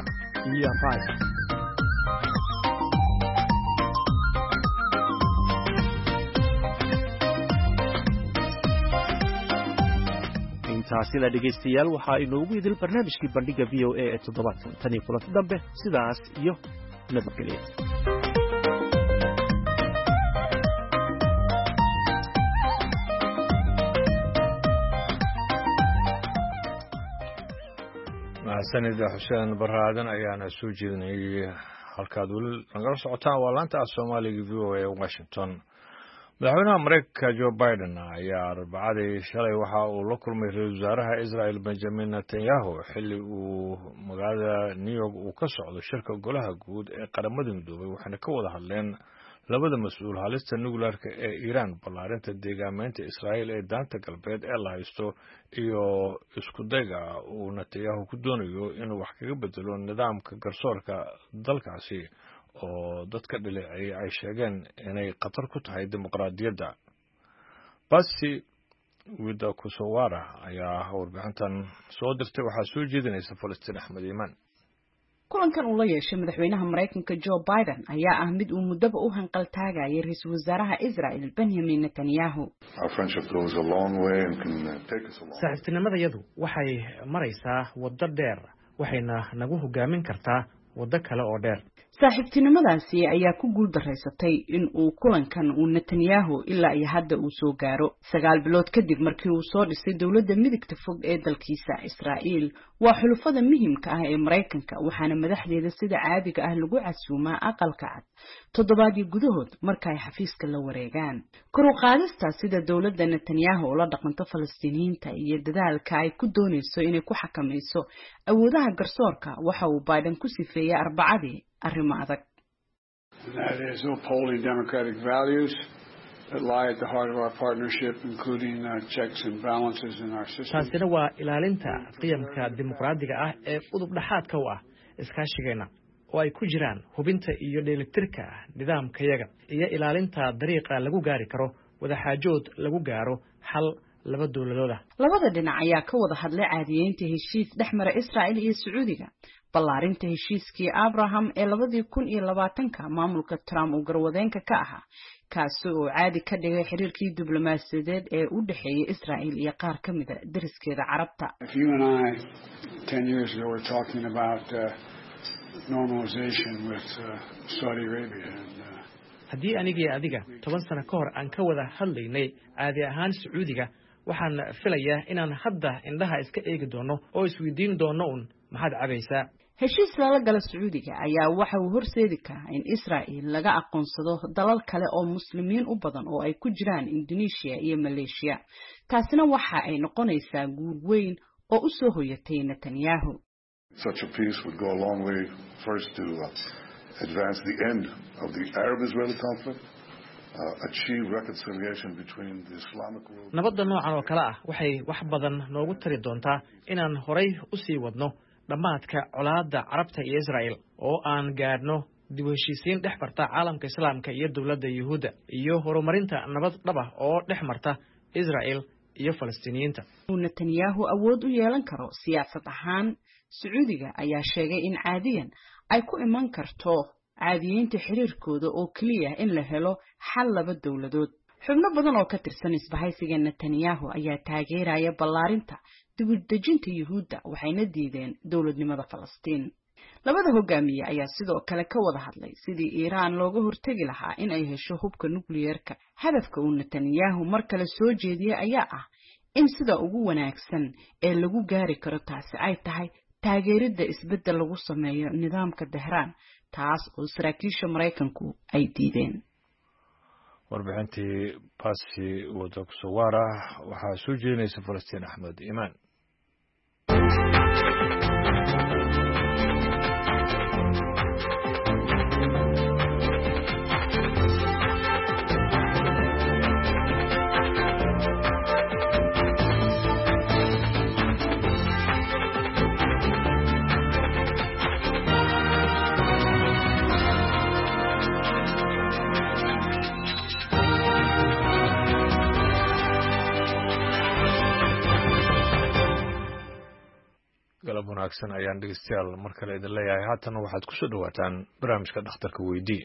L: iyo Rusia.
K: Intaasina dhegaystayaal waxaa inoogu idil barnaamijkii Bandhigga VOA ee toddobaadkan. Tan iyo kulanti dambe, sidaas iyo nabadgelya.
A: Mahadsanida Xuseen Baraaden ayaana soo jeedinayay. Halkaad weli nagala socotaan waa laanta af Soomaaliga VOA Washington. Madaxweynaha Mareykanka Joe Biden ayaa Arbacadii shalay waxa uu la kulmay ra-iisul wasaaraha Israel Benjamin Netanyahu xilli uu magaalada New York uu ka socdo shirka golaha guud ee Qaramada Midoobay, waxayna ka wada hadleen labada mas-uul halista nukleerka ee Iiraan, ballaarinta deegaameynta Israa'iil ee Daanta Galbeed ee la haysto iyo iskudayga uu Netanyahu ku doonayo inuu wax kaga bedelo nidaamka garsoorka dalkaasi oo dadka dhaleeceeyay ay sheegeen inay khatar ku tahay dimuqraadiyadda. Basi Widakusowara ayaa warbixintan soo dirtay, waxaa soo jeedinaysa Falastiin Axmed Iimaan.
G: Kulankan uu la yeeshay madaxweynaha Maraykanka Joe Biden ayaa ah mid uu muddaba u hanqaltaagayay ra-iisul wasaaraha Israel Benjamin Netanyahu.
M: Saaxiibtinimadayadu waxay maraysaa waddo dheer, waxayna nagu hogaamin kartaa waddo kale oo dheer.
G: Saaxiibtinimadaasi ayaa ku guul daraysatay in uu kulankan uu Netanyahu ilaa iyo hadda uu soo gaaro 9 bilood kadib markii uu soo dhisay dowladda midigta fog ee dalkiisa. Israa'iil waa xulufada muhiimka ah ee Maraykanka, waxaana madaxdeeda sida caadiga ah lagu casuumaa Aqalka Cad toddobaadyo gudahood marka ay xafiiska la wareegaan. Kor u qaadista sida dowladda Netanyahu ula dhaqanto Falastiiniyiinta iyo dadaalka ay ku doonayso inay ku xakamayso awoodaha garsoorka waxa uu Biden ku sifeeyey Arbacadii arrimo adag.
N: That is upholding democratic values that lie at the heart of our partnership, including checks and balances in our system.
M: Taasina waa ilaalinta qiyamka dimuqraadiga ah ee udub dhexaadka u ah iskaashigeenna, oo ay ku jiraan hubinta iyo dheelitirka nidaamkayaga iyo ilaalinta dariiqa lagu gaari karo wadaxaajood lagu gaaro xal laba dowladooda.
G: Labada dhinac ayaa ka wada hadlay caadiyeynta heshiis dhex mara Israa'il iyo Sacuudiga, ballaarinta heshiiskii Abraham ee 2020-ka maamulka Trump uu garwadeenka ka ahaa, kaasi oo caadi ka dhigay xiriirkii diblomaasiyadeed ee u dhexeeyay Israa'il iyo qaar ka mida deriskeeda Carabta.
N: If you and I 10 years ago were talking about normalization with Saudi Arabia and
M: Haddii anigii adiga 10 sano ka hor aan ka wada hadlaynay caadi ahaan Sacuudiga, waxaan filayaa inaan hadda indhaha iska eegi doono oo isweydiin doono un "Maxaad cabaysaa?"
G: Heshiis lala gala Sacuudiga ayaa waxa uu horseedi karaa in Israa'il laga aqoonsado dalal kale oo Muslimiin u badan, oo ay ku jiraan Indonesia iyo Maleeshiya. Taasina waxa ay noqonaysaa guul weyn oo u soo hoyatay Netanyahu.
O: Such a peace would go a long way first to advance the end of the Arab-Israeli conflict, achieve reconciliation between the Islamic world.
M: Nabadda noocan oo kale ah waxay wax badan noogu tari doontaa inaan horay u sii wadno dhammaadka colaadda Carabta iyo Israa'el, oo aan gaadhno dib u heshiisiin dhex marta caalamka Islaamka iyo dowladda Yuhuudda, iyo horumarinta nabad dhab ah oo dhex marta Israa'el iyo Falastiiniyiinta.
G: Uu Netanyahu awood u yeelan karo siyaasad ahaan. Sacuudiga ayaa sheegay in caadiyan ay ku iman karto caadiyeynta xiriirkooda oo keliya in la helo xal laba dowladood. Xubno badan oo ka tirsan isbahaysiga Netanyahu ayaa taageeraya ballaarinta dibudejinta Yuhuudda, waxayna diideen dowladnimada Falastiin. Labada hogaamiye ayaa sidoo kale ka wada hadlay sidii Iiraan looga hortegi lahaa in ay hesho hubka nukliyeerka. Hadafka uu Netanyahu mar kale soo jeediyey ayaa ah in sida ugu wanaagsan ee lagu gaari karo taasi ay tahay taageeridda isbeddel lagu sameeyo nidaamka Tehraan, taas oo saraakiisha Maraykanku ay diideen.
A: Warbixintii Basi Wadakusawara waxaa soo jeedinaysa Falastiin Axmed Iimaan. Galab wanaagsan ayaan dhegeystayaal mar kale idin leeyahay. Haatan waxaad ku soo dhowaataan barnaamijka Dhakhtarka Weydii.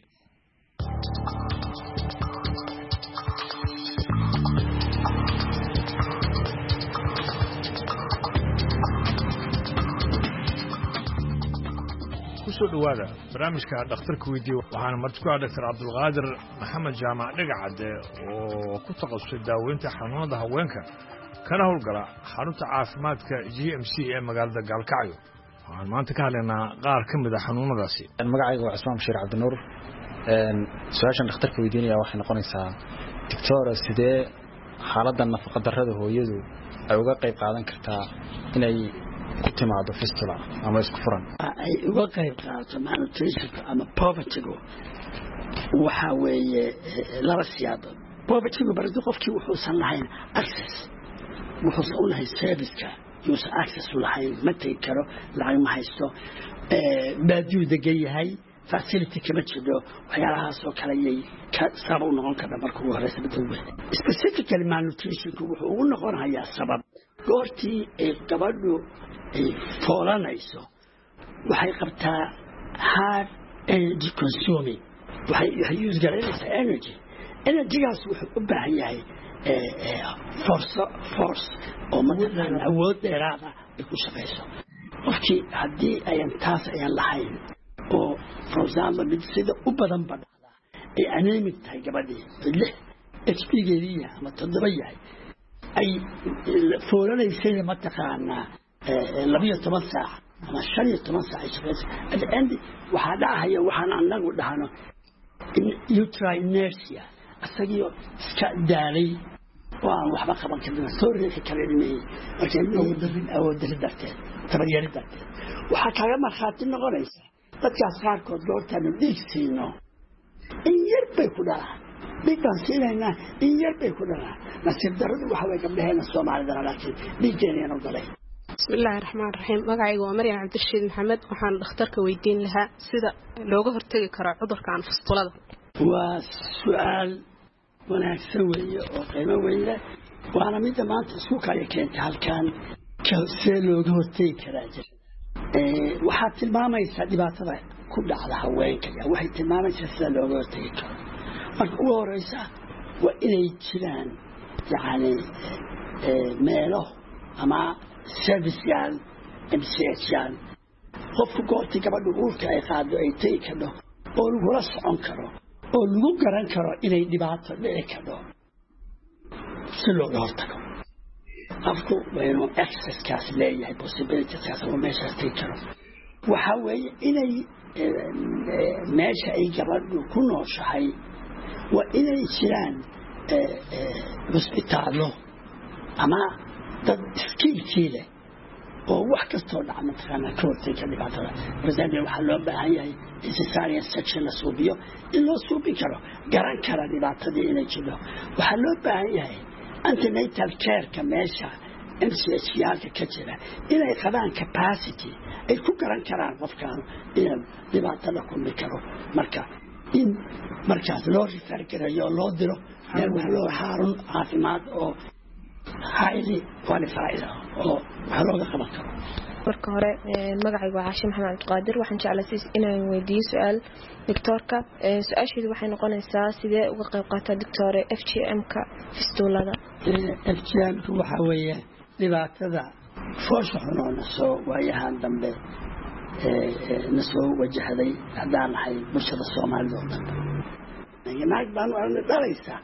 A: Kusoo dhowaada barnaamijka Dhakhtarka Weydiiye. Waxaana marti ku ah Doctor Cabdulqaadir Maxamed Jaamac Dhegacadde, oo ku takhasusay daaweynta xanuunada haweenka, kana howlgala xarunta caafimaadka GMC ee magaalada Gaalkacyo. Waxaan maanta ka hadlaynaa qaar ka mid a xanuunadaasi.
P: Magacayga waa Cismaan Bashiir Cabdinuur. Su-aashan dhakhtarka weydiinaya waxay noqonaysaa, doctora, sidee xaaladda nafaqa darrada hooyadu ay uga qayb qaadan kartaa inay ku timaado fistula ama isku furan?
Q: Ay uga qayb qaadato malnutritionka ama povertygu waxaa weeye laba siyaabood. Povertygu baradi qofkii wuxuusan lahayn access, wuxuusan u lahayn serviceka, yuusan access u lahayn, ma tegi karo, lacag ma haysto, baadiyuu degan yahay, facility kama jiro, waxyaalahaasoo kale ayay ka sabab u noqon karta marka ugu horeysa. Midda ugu specifically malnutritionku wuxuu ugu noqonayaa sabab goortii ay gabadhu ay foolanayso waxay qabtaa hard energy consuming, waxay use garaynaysaa energy. Energygaas wuxuu u baahan yahay force oo mataqaana awood dheeraada ay ku shaqayso. Qofkii haddii ayan taas ayan lahayn oo, for example, mid sida u badan ba dhacdaa ay anemic tahay gabadhii, 6 HB geedii yahay ama 7 yahay, ay foolanaysayna mataqaanaa 12 saac ama 15 saac ay shaqaysa, at the end waxaa dhacaya waxaan anagu dhahno uterine inertia, asagiio iska daalay oo aan waxba qaban karin, soo riixi karin ilmihii. Marka ilmihii awood darri darteed, tabaryari darteed, waxaa kaaga markhaati noqonaysa dadkaas qaarkood goortaanu dhiig siino in yar bay ku dhalaan. Dhiig baan siinaynaa, in yar bay ku dhalaan. Nasiib darradu waxa way gabdhaheena Soomaalidana, laakiin dhiiggeenayanu galay.
R: Bismillaahi raxmaan raxiim. Magacayga waa Maryam Cabdirashiid Maxamed. Waxaan dhakhtarka weydiin lahaa sida looga hortegi karo cudurkan fustulada.
Q: Waa su-aal wanaagsan weeye oo qiimo weyn leh, waana midda maanta isku kaya keentay halkan. See looga hortegi karaa jirada? Waxaad tilmaamaysaa dhibaatada ku dhacda haweenka, waxay tilmaamaysaa sida looga hortegi karo. Marka ugu horeysa waa inay jiraan yacni meelo ama serviceyaal, MCH yaal, qofku goortii gabadhu uurka ay qaado ay tegi kadho oo lagula socon karo oo lagu garan karo inay dhibaato dhici kadho si looga hortago. Qofku waa inuu accesskaas leeyahay, possibilitieskaas oo meeshaas tegi karo. Waxaa weeye inay meesha ay gabadhu ku nooshahay waa inay jiraan cusbitaallo ama dad skillkii leh oo wax kastoo dhaca mataqaanaa ka hortegi kara dhibaatada. For example, waxaa loo baahan yahay cesarean section la suubiyo in loo suubin karo, garan kara dhibaatadii inay jiro. Waxaa loo baahan yahay antenatal careka meesha MCH yaalka ka jira inay qabaan capacity ay ku garan karaan qofkaanu inuu dhibaato la kulmi karo, marka in markaas loo refer gareeyo oo loo diro meel wax loo xarun caafimaad oo highly qualified oo wax looga qaban karo.
S: Marka hore magacaygu waa Caashe Maxamed Cabdiqaadir. Waxaan jeclaa inaan weydiiyo su-aal doctoorka. Su-aasheedu waxay noqonaysaa, sidee uga qayb qaataa, doctore, FGM-ka fistuulada?
Q: FGM-ka waxaa weeye dhibaatada foosha xun oo nasoo waayahan dambe na soo wajahday haddaan nahay bulshada Soomaalida oo dhan. Naag baanu aragnay dhalaysa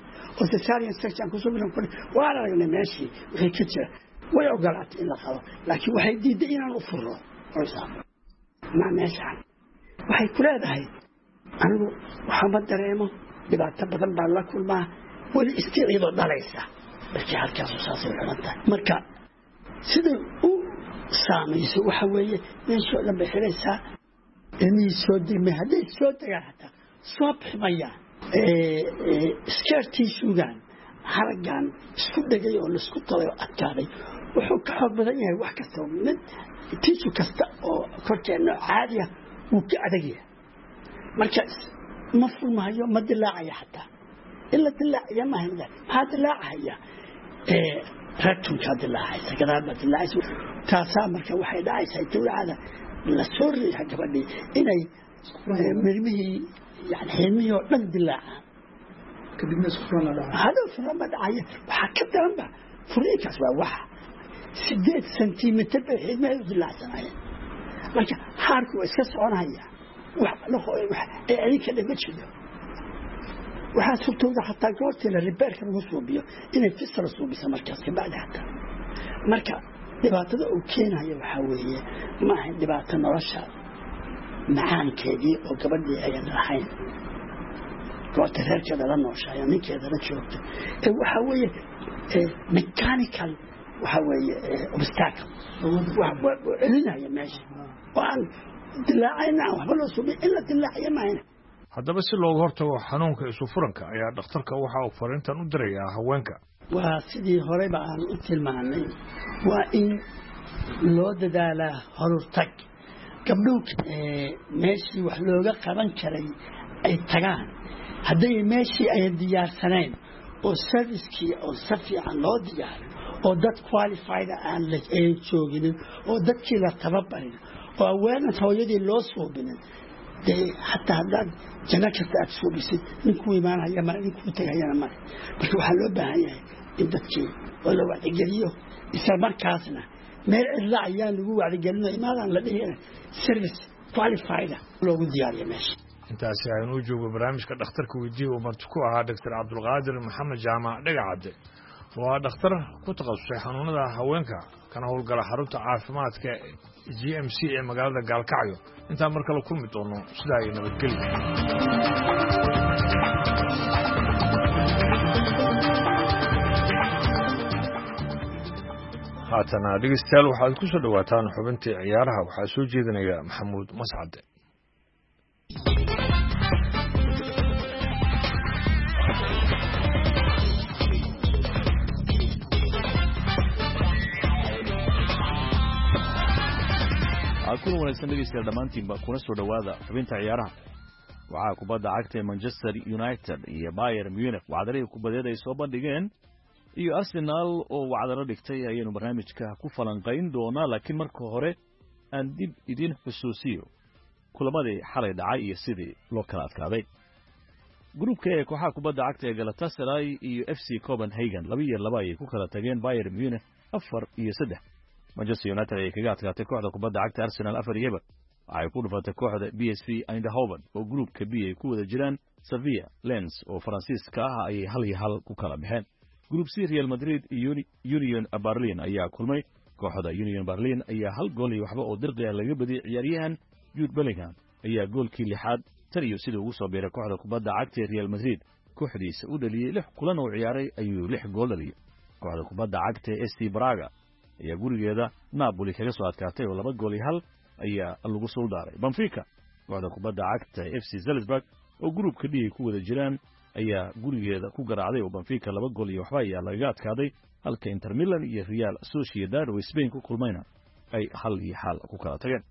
Q: oo cesarean section kusoo bilan, waan aragnay meeshii wixii ka jira. Way ogolaatay in la qalo, laakiin waxay diiday inaan u furo. For example, ma meeshaan waxay ku leedahay, anigu waxama dareemo, dhibaato badan baan la kulmaa, weli istii iyadoo dhalaysa. Markii halkaasu saasay xuman tahay. Marka siday u saamayso waxa weeye meeshii oo dhan bay xiraysaa, ilmihii soo degmay, hadday soo degaan xataa soo biximayaan. Scar tissuegan, haraggan isku dhegay oo laisku talay oo adkaaday, wuxuu ka xoog badan yahay wax kasta. Mid tissue kasta oo korkeenna caadi ah wuu ka adag yahay. Marka ma furmahayo, ma dilaacaya xataa. In la dilaaciya maaha, maxaa dilaacahaya? Rectumkaa dilaacaysa, gadaal baa dilaacaysa. Taasaa marka waxay dhacaysaa dawlacada la soo riixa gabadhii inay mirmihii, yani xilmihii oo dhan dilaacaan.
L: Kadibna isku furan la dhaca.
Q: Hadhow furan ba dhacaya. Waxaa ka daranba furiinkaas waa waxa 8 sentimitir bay xidmaheedu dilaacsanayeen. Marka xaarku waa iska soconaya, wax ee adinka dhan ma jiro. Waxaa suurtooda xataa goortii la repairka lagu suubiyo inay fistula suubisa markaas kabacdi xataa. Marka Dhibaatada uu keenayo waxaa weeye, ma ahayn dhibaato nolosha macaankeedii oo gabadhii ayan lahayn goorta reerkeeda la nooshahay oo ninkeeda la joogto. Waxaa weeye mechanical, waxaa weeye obstacle wax celinaya meesha oo aan dilaacayna, aan waxba loo subin in la dilaaciyo maahayna.
A: Haddaba si looga hortago xanuunka isufuranka ayaa dhakhtarka waxa uu fariintan u dirayaa haweenka.
Q: Waa sidii horeyba aan u tilmaanay, waa in loo dadaalaa horurtag. Gabdhuhu meeshii wax looga qaban karay ay tagaan. Hadday meeshii ayan diyaarsanayn oo servicekii oo si fiican loo diyaarin oo dad qualified aan ayan jooginin oo dadkii la tababarin oo awareness hooyadii loo suubinin, dee xataa haddaad janno kasta aad suubisid, ninkuu imaanhaya male, ninkuu tegayana male. Marka waxaa loo baahan yahay in dadkii oo la wacdigeliyo, isla markaasna meel cidla ayaan lagu wacdigelino imaadaan la dhihin, service qualified loogu diyaariyo meesha.
A: Intaasi aynuu joogo barnaamijka dhakhtarka weydiiya uu marti ku ahaa Doctor Cabdulqaadir Maxamed Jaamac Dhegacadde, oo ah dhakhtar ku takhasusay xanuunada haweenka kana howlgala xarunta caafimaadka GMC ee magaalada Gaalkacyo. Intaan mar kale kulmi doono, sidaa iyo nabadgelyo. Haatana dhegeystayaal, waxaad ku soo dhowaataan xubintii ciyaaraha. Waxaa soo jeedinaya Maxamuud Mascade.
T: Kulan wanaagsan dhegeystayaal dhammaantiinba, kuna soo dhowaada xubinta ciyaaraha. Waxaa kubadda cagta ee Manchester United iyo Bayern Munich wacdarihii kubadeed ay soo bandhigeen iyo Arsenal oo wacdaro dhigtay ayaynu barnaamijka ku falanqayn doonaa, laakiin marka hore aan dib idin xusuusiyo kulamadii xalay dhacay iyo sidii loo kala adkaaday. Gruupka ee kooxaha kubadda cagta ee Galatasaray iyo FC Copenhagen 2-2 ayay ku kala tageen. Bayern Munich 4-3 Manchester United ayay kaga adkaatay. Kooxda kubadda cagta Arsenal 4-0 waxay ku dhufatay kooxda PSV Eindhoven, oo gruupka B ay ku wada jiraan Sevilla. Lens oo Faransiiska ah ayay 1-1 ku kala baxeen. Group C, Real Madrid iyo Union Berlin ayaa kulmay. Kooxda Union Berlin ayaa hal gool iyo waxba oo dirqi ah laga badiyey. Ciyaaryahan Jude Bellingham ayaa goolkii lixaad tan iyo sidii ugu soo biiray kooxda kubadda cagta ee Real Madrid kooxdiisa u dhaliyey. Lix kulan oo ciyaaray ayuu lix gool dhaliyey. Kooxda kubadda cagta ee SC Braga ayaa gurigeeda Napoli kaga soo adkaatay oo 2-1 ayaa lagu suuldaaray. Benfica kooxda kubadda cagta ee FC Salzburg oo gruupka D ay ku wada jiraan ayaa gurigeeda ku garaacday, oo Benfica 2-0 ayaa lagaga adkaaday, halka Inter Milan iyo Real Sociedad oo Spain ku kulmayna ay 1-1 ku kala tageen.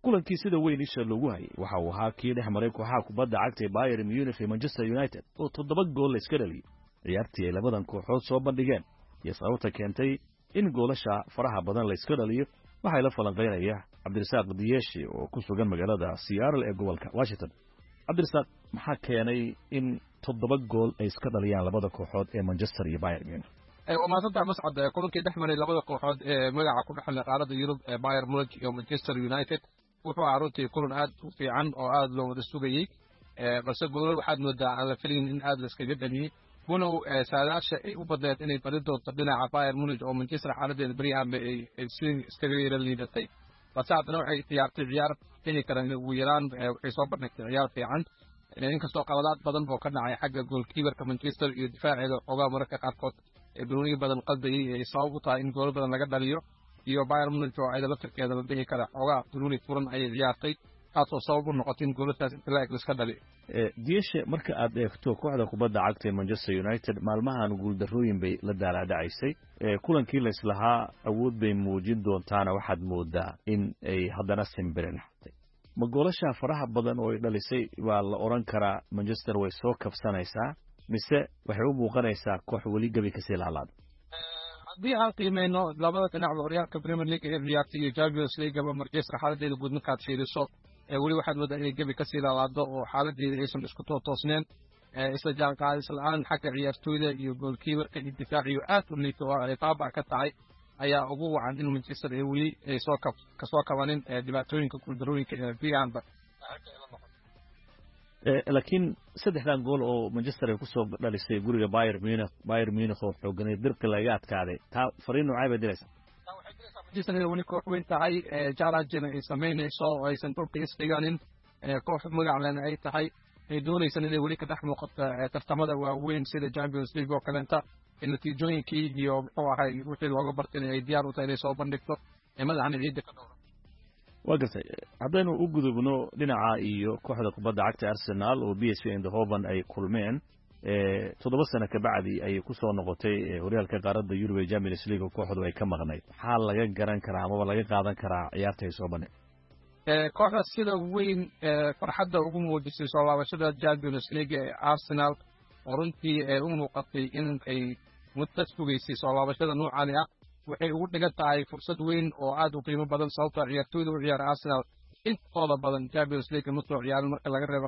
T: Kulankii sida weyn isha loogu hayay waxa uu ahaa kii dhex maray kooxaha kubadda cagta ee Bayern Munich iyo Manchester United oo 7 gool la iska dhaliyey. Ciyaartii ay labadan kooxood soo bandhigeen iyo sababta keentay in goolasha faraha badan la iska dhaliyo waxaa la falanqeynaya Cabdirasaaq Diyeshi oo ku sugan magaalada Seattle ee gobolka Washington. Cabdirasaaq, maxaa keenay in 7 gool ay iska dhaliyaan labada kooxood ee Manchester iyo Bayern Munich?
U: Waa mahadsantahay Mascad. Kulankii dhex maray labada kooxood ee magaca ku dhexleh qaaradda Yurub ee Bayern Munich iyo Manchester United wuxuu ahaa runtii kulan aad u fiican oo aad loo wada sugayey, balse goolal waxaad moodaa aan la filayn in aad layskaga dhaliyey, walow saadaasha ay u badneed inay bari doonto dhinaca Bayern Munich oo Manchester xaaladeeda beryahanba ay si iskaga yara liidatay, balse haddana waxay ciyaartay ciyaar heli karaan ugu yaraan, waxay soo bandhigtay ciyaar fiican, inkastoo qaladaad badan oo ka dhacay xagga goalkeeperka Manchester iyo difaaceeda xoogaa mararka qaarkood ee banooniyo badan qaldayay ay sabab u tahay in goolo badan laga dhaliyo, iyo Bayern Munich oo ayada laftirkeeda la dhihi kara xoogaa banooni furan ayay ciyaartay, taasoo sabab u noqotay in goolashaas inta la eg laiska dhaliyo.
T: Dieshe, marka aad eegto kooxda kubadda cagta ee Manchester United maalmahan guuldarrooyin bay la daalaadhacaysay. Kulankii layslahaa awood bay muujin doontaana waxaad moodaa in ay haddana simbirin xatay. Ma goolasha faraha badan oo ay dhalisay waa la odhan karaa Manchester way soo kabsanaysaa, mise waxay u muuqanaysaa koox weli gebi kasii laalaada?
U: Haddii aan qiimeyno labada dhinacba, horyaalka Premier League ee ciyaartay iyo Champions League-ba, Manchester xaaladeeda guud markaad fiiriso weli waxaad moodaa inay gebi kasii laalaado oo xaaladeeda aysan isku tootoosneen, isla jaanqaadis la-aan xagga ciyaartooyda iyo goalkeeperka iyo difaaciyo aad u liito oo ay baabac ka tahay ayaa ugu wacan in Manchester ay weli ay soo kab kasoo kabanin dhibaatooyinka guuldarooyinka ee biyaanba.
T: Laakiin saddexdan gool oo Manchester ay kusoo dhalisay guriga Bayern Munich, Bayern Munich oo xooganay dirqi laga adkaaday, taa fariin noocay bay diraysaa?
U: Manchester inay weli koox weyn tahay, challenge-na ay samaynayso oo aysan dhulka isdhiganin, koox magac lena ay tahay, ay doonaysan inay weli ka dhex muuqato tartamada waaweyn sida Champions League oo kaleenta. Natiijooyinkii iyo muxuu ahay wixii looga bartay ay diyaar u tahay inay soo bandhigto, madaxna ciidda ka dhowra.
T: Waa gartay. Haddaynu u gudubno dhinaca iyo kooxda kubadda cagta Arsenal oo PSV Eindhoven ay kulmeen, 7 sano kabacdi ayay ku soo noqotay horyaalka qaaradda Yurub ee Champions League oo kooxdu ay ka maqnayd. Maxaa laga garan karaa amaba laga qaadan karaa ciyaarta ay soo bandhig?
U: Kooxda sida weyn farxadda ugu muujisay soo laabashada Champions League ee Arsenal, oo runtii u muuqatay in ay muddo sugaysay soo laabashada noocani ah, waxay ugu dhigan tahay fursad weyn oo aad u qiimo badan, sababtoo ciyaartooyda u ciyaara Arsenal intooda badan Champions League ma soo ciyaarin, marka laga reebo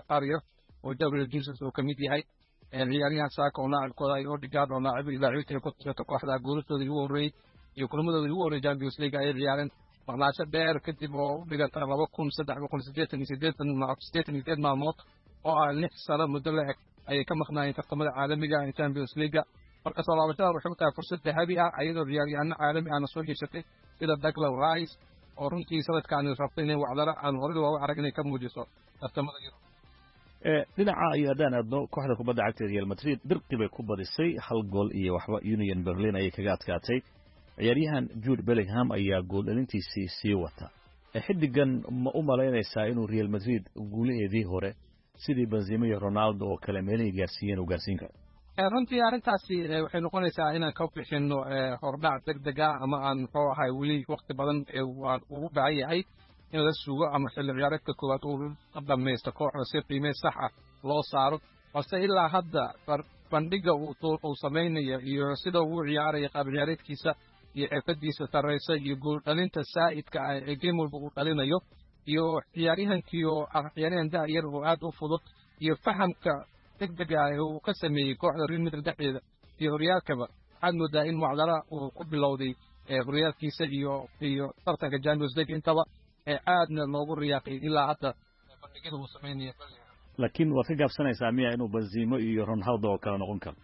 U: qaar yar oo Gabriel Jesus uu ka mid yahay. Ciyaaryahan Saka oo laacibkooda ay Odegaard oo laacib laacibiinta ku tirta kooxda, guulashooda ugu horreeyey iyo kulamadooda ugu horreeyey Champions League ayay ciyaareen maqnaasho dheer kadib oo u dhiganta 2388 maalmood oo ah 6 sano muddo la eg ayay ka maqnaayeen tartamada caalamiga ee Champions League. Marka soo laabashada waxay u tahay fursad dahabi ah, iyadoo ciyaaryahanno caalami ahna soo heshatay sida Declan Rice oo runtii sanadkaani rabtay inay wacdaro aan horey looga arag inay ka muujiso tartamada Yurub.
T: Dhinaca iyo haddaan aadno kooxda kubadda cagta Real Madrid, dirqi bay ku badisay, 1 gool iyo waxba Union Berlin ayay kaga adkaatay. Ciyaaryahan Jude Bellingham ayaa gool dhalintiisii sii wata. Xiddigan ma u malaynaysaa inuu Real Madrid guulaheedii hore sidii Benzema iyo Ronaldo oo kale meelihii gaarsiiyeen uu gaarsiin karo?
U: Runtii arrintaasi waxay noqonaysaa inaan ka bixino hordhac deg deg ah ama aan muxuu ahay weli waqti badan aan ugu baahan yahay in la sugo ama xilli ciyaareedka koowaad uu dhamaysto kooxda si qiime sax ah loo saaro. Balse ilaa hadda bandhiga uu samaynayo iyo sida uu ciyaaraya, qaab ciyaareedkiisa iyo xirfadiisa sarreysa iyo gool dhalinta saa'idka ah ee game walba uu dhalinayo, iyo ciyaaryahankii oo ah ciyaaryahan da' yar oo aad u fudud, iyo fahamka degdega ah ee uu ka sameeyey kooxda Real Madrid dhexdeeda iyo horyaalkaba, waxaad moodaa in mucdara uu ku bilowday horyaalkiisa iyo tartanka Champions League intaba, aadna loogu riyaaqay ilaa hadda bandhigyada uu sameynaya.
T: Laakiin waad ka gaabsanaysaa miya inuu Benzema iyo Ronaldo oo kale noqon karo?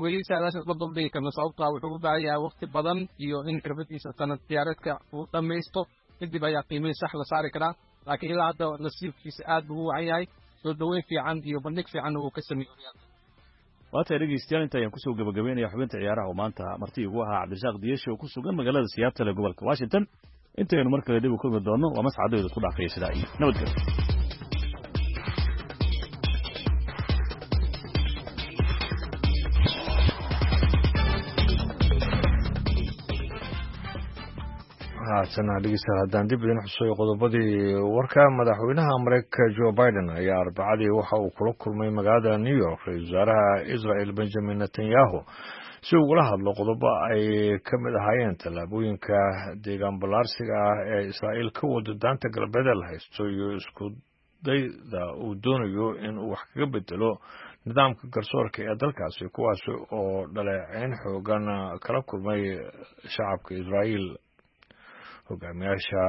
U: Weli saadaashaas ma duldhigi karno, sababtaa wuxuu u baahan yahay waqti badan iyo in xirfadiisa sanad ciyaareedka uu dhammaysto, kadib ayaa qiimihii sax la saari karaa. Laakiin ilaa hadda nasiibkiisa aad buu u wacan yahay, soo dhaweyn fiican iyo bandhig fiicanna uu ka sameeyey horyaalka.
T: Waa tahay dhegeystayaal, inta ayaan kusoo gabagabeynaya xubinta ciyaaraha oo maanta marti igu ahaa Cabdirasaaq Diyeshe oo ku sugan magaalada Seattle ee gobolka Washington. Intaynu mar kale dib u kulmi doono, waa mascadooda ku dhaafaya sidaa iyo nabadgelyo.
A: Haatana dhegeystayaal, haddaan dib idin xusuuyo qodobadii warka. Madaxweynaha Mareykanka Joe Biden ayaa Arbacadii waxa uu kula kulmay magaalada New York ra-iisul wasaaraha Israel Benjamin Netanyahu si ugula hadlo qodobo ay ka mid ahaayeen tallaabooyinka deegaan ballaarsiga ah ee Israa'iil ka wado Daanta Galbeed la haysto iyo isku dayda uu doonayo in uu wax kaga bedelo nidaamka garsoorka ee dalkaasi, kuwaas oo dhaleeceyn xoogan kala kulmay shacabka Israa'iil. Hogaamiyaasha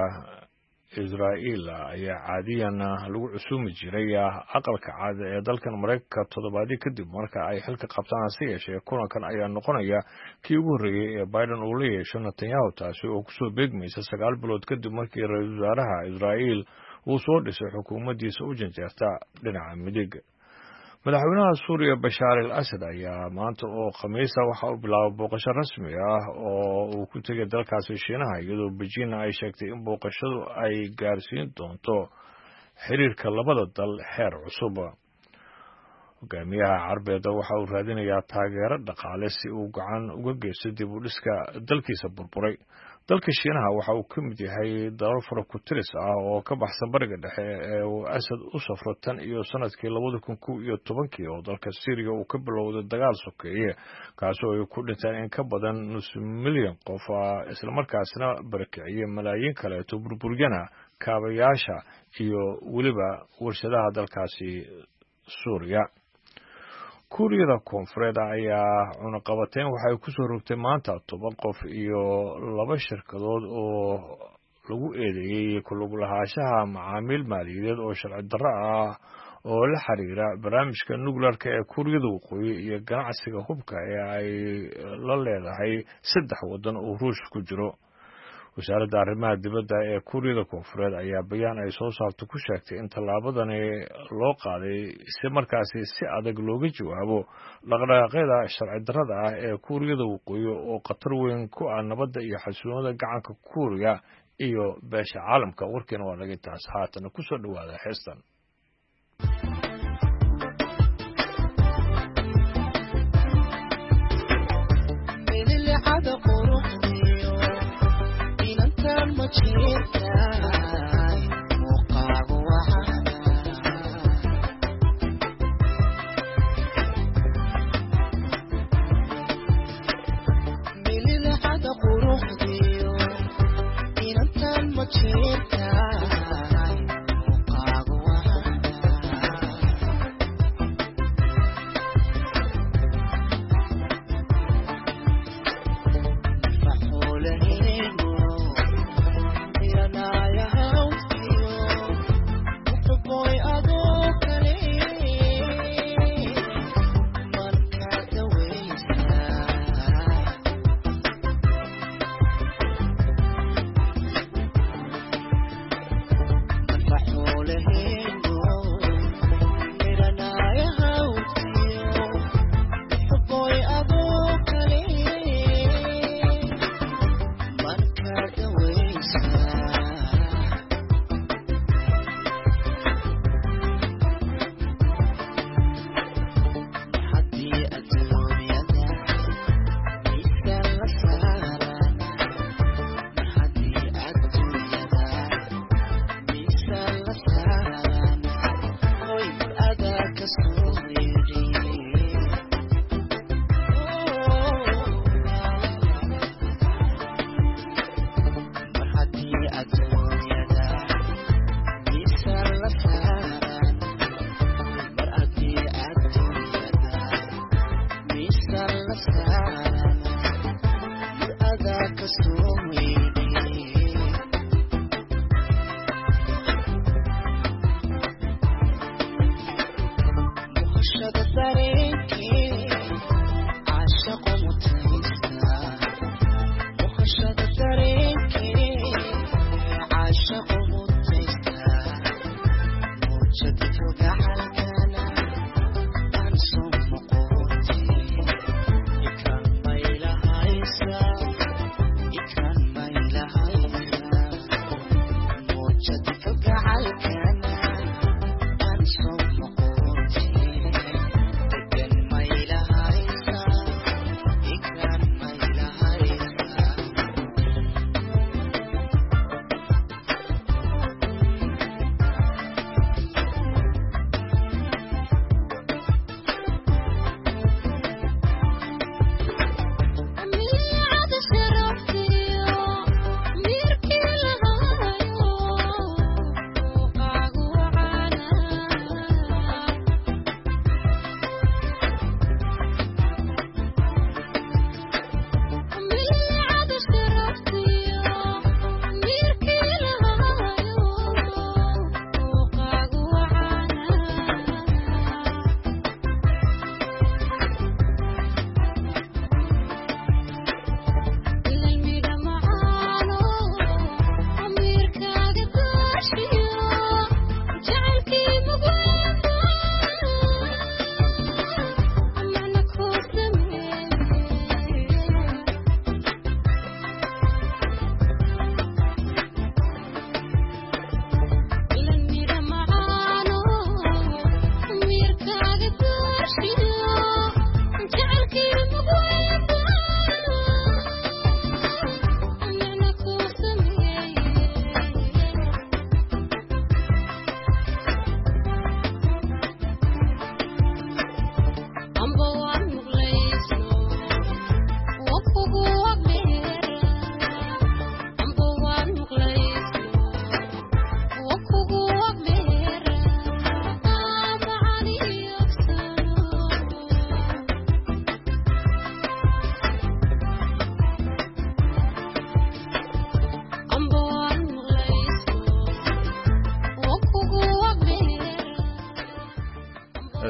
A: Israa'iil ayaa caadiyan lagu cusumi jiray Aqalka Cad ee dalkan Maraykanka toddobaadyo kadib marka ay xilka qabtaan. Hase yeeshee, kulankan ayaa noqonaya kii ugu horreeyey ee Biden uu la yeesho Netanyahu, taasi oo kusoo beegmaysa 9 bilood kadib markii ra-iisul wasaaraha Israa'iil uu soo dhisay xukuumaddiisa u janjeerta dhinaca midig. Madaxweynaha Suuriya Bashaar al Asad ayaa maanta oo Khamiisa waxa uu bilaabay booqasho rasmi ah oo uu ku tegay dalkaasi Shiinaha, iyadoo Beijing ay sheegtay in booqashadu ay gaarsiin doonto xiriirka labada dal xeer cusub. Hogaamiyaha Carbeeda waxa uu raadinayaa taageero dhaqaale si uu gacan uga geysto dib u dhiska dalkiisa burburay. Dalka Shiinaha waxa uu ka mid yahay dalal fara ku tiris ah oo ka baxsan Bariga Dhexe ee uu Asad u safro tan iyo sanadkii 2011-kii oo dalka Syriya uu ka bilowday dagaal sokeeye, kaasoo ay ku dhinteen in ka badan nus milyan qof, islamarkaasna barakiciyey malaayiin kaleeto, burburyana kaabayaasha iyo weliba warshadaha dalkaasi Suuriya. Kuuriyada Koonfureed ayaa cunaqabateyn waxay ku soo rogtay maanta 10 qof iyo laba shirkadood oo lagu eedeeyey ku lug lahaanshaha macaamiil maaliyadeed oo sharci darro ah oo la xiriira barnaamijka nukleerka ee Kuuriyada Waqooyi iyo ganacsiga hubka ee ay la leedahay 3 waddan oo Ruushka ku jiro. Wasaaradda arrimaha dibadda ee Kuuriyada Koonfureed ayaa bayaan ay soo saarto ku sheegtay in tallaabadani loo qaaday si markaasi si adag looga jawaabo dhaqdhaqaaqyada sharci darrada ah ee Kuuriyada Waqooyi oo khatar weyn ku ah nabadda iyo xasiloonida gacanka Kuuriya iyo beesha caalamka. Warkiina waa naga intaas, haatana ku soo dhowaada heestan.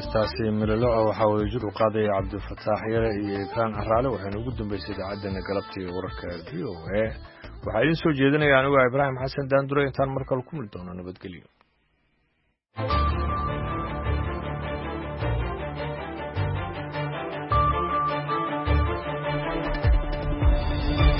A: Heestaasi miloloco waxaa wada jir u qaadaya Cabdifataax Yare iyo Ikraan Caraale, waxayna ugu dambeysay idaacaddeenna galabta iyo wararka VOA. Waxaa idiin soo jeedinaya anigu Ibraahim Xasan Daandure. Intaan mar kale ku mili doono, nabadgelyo.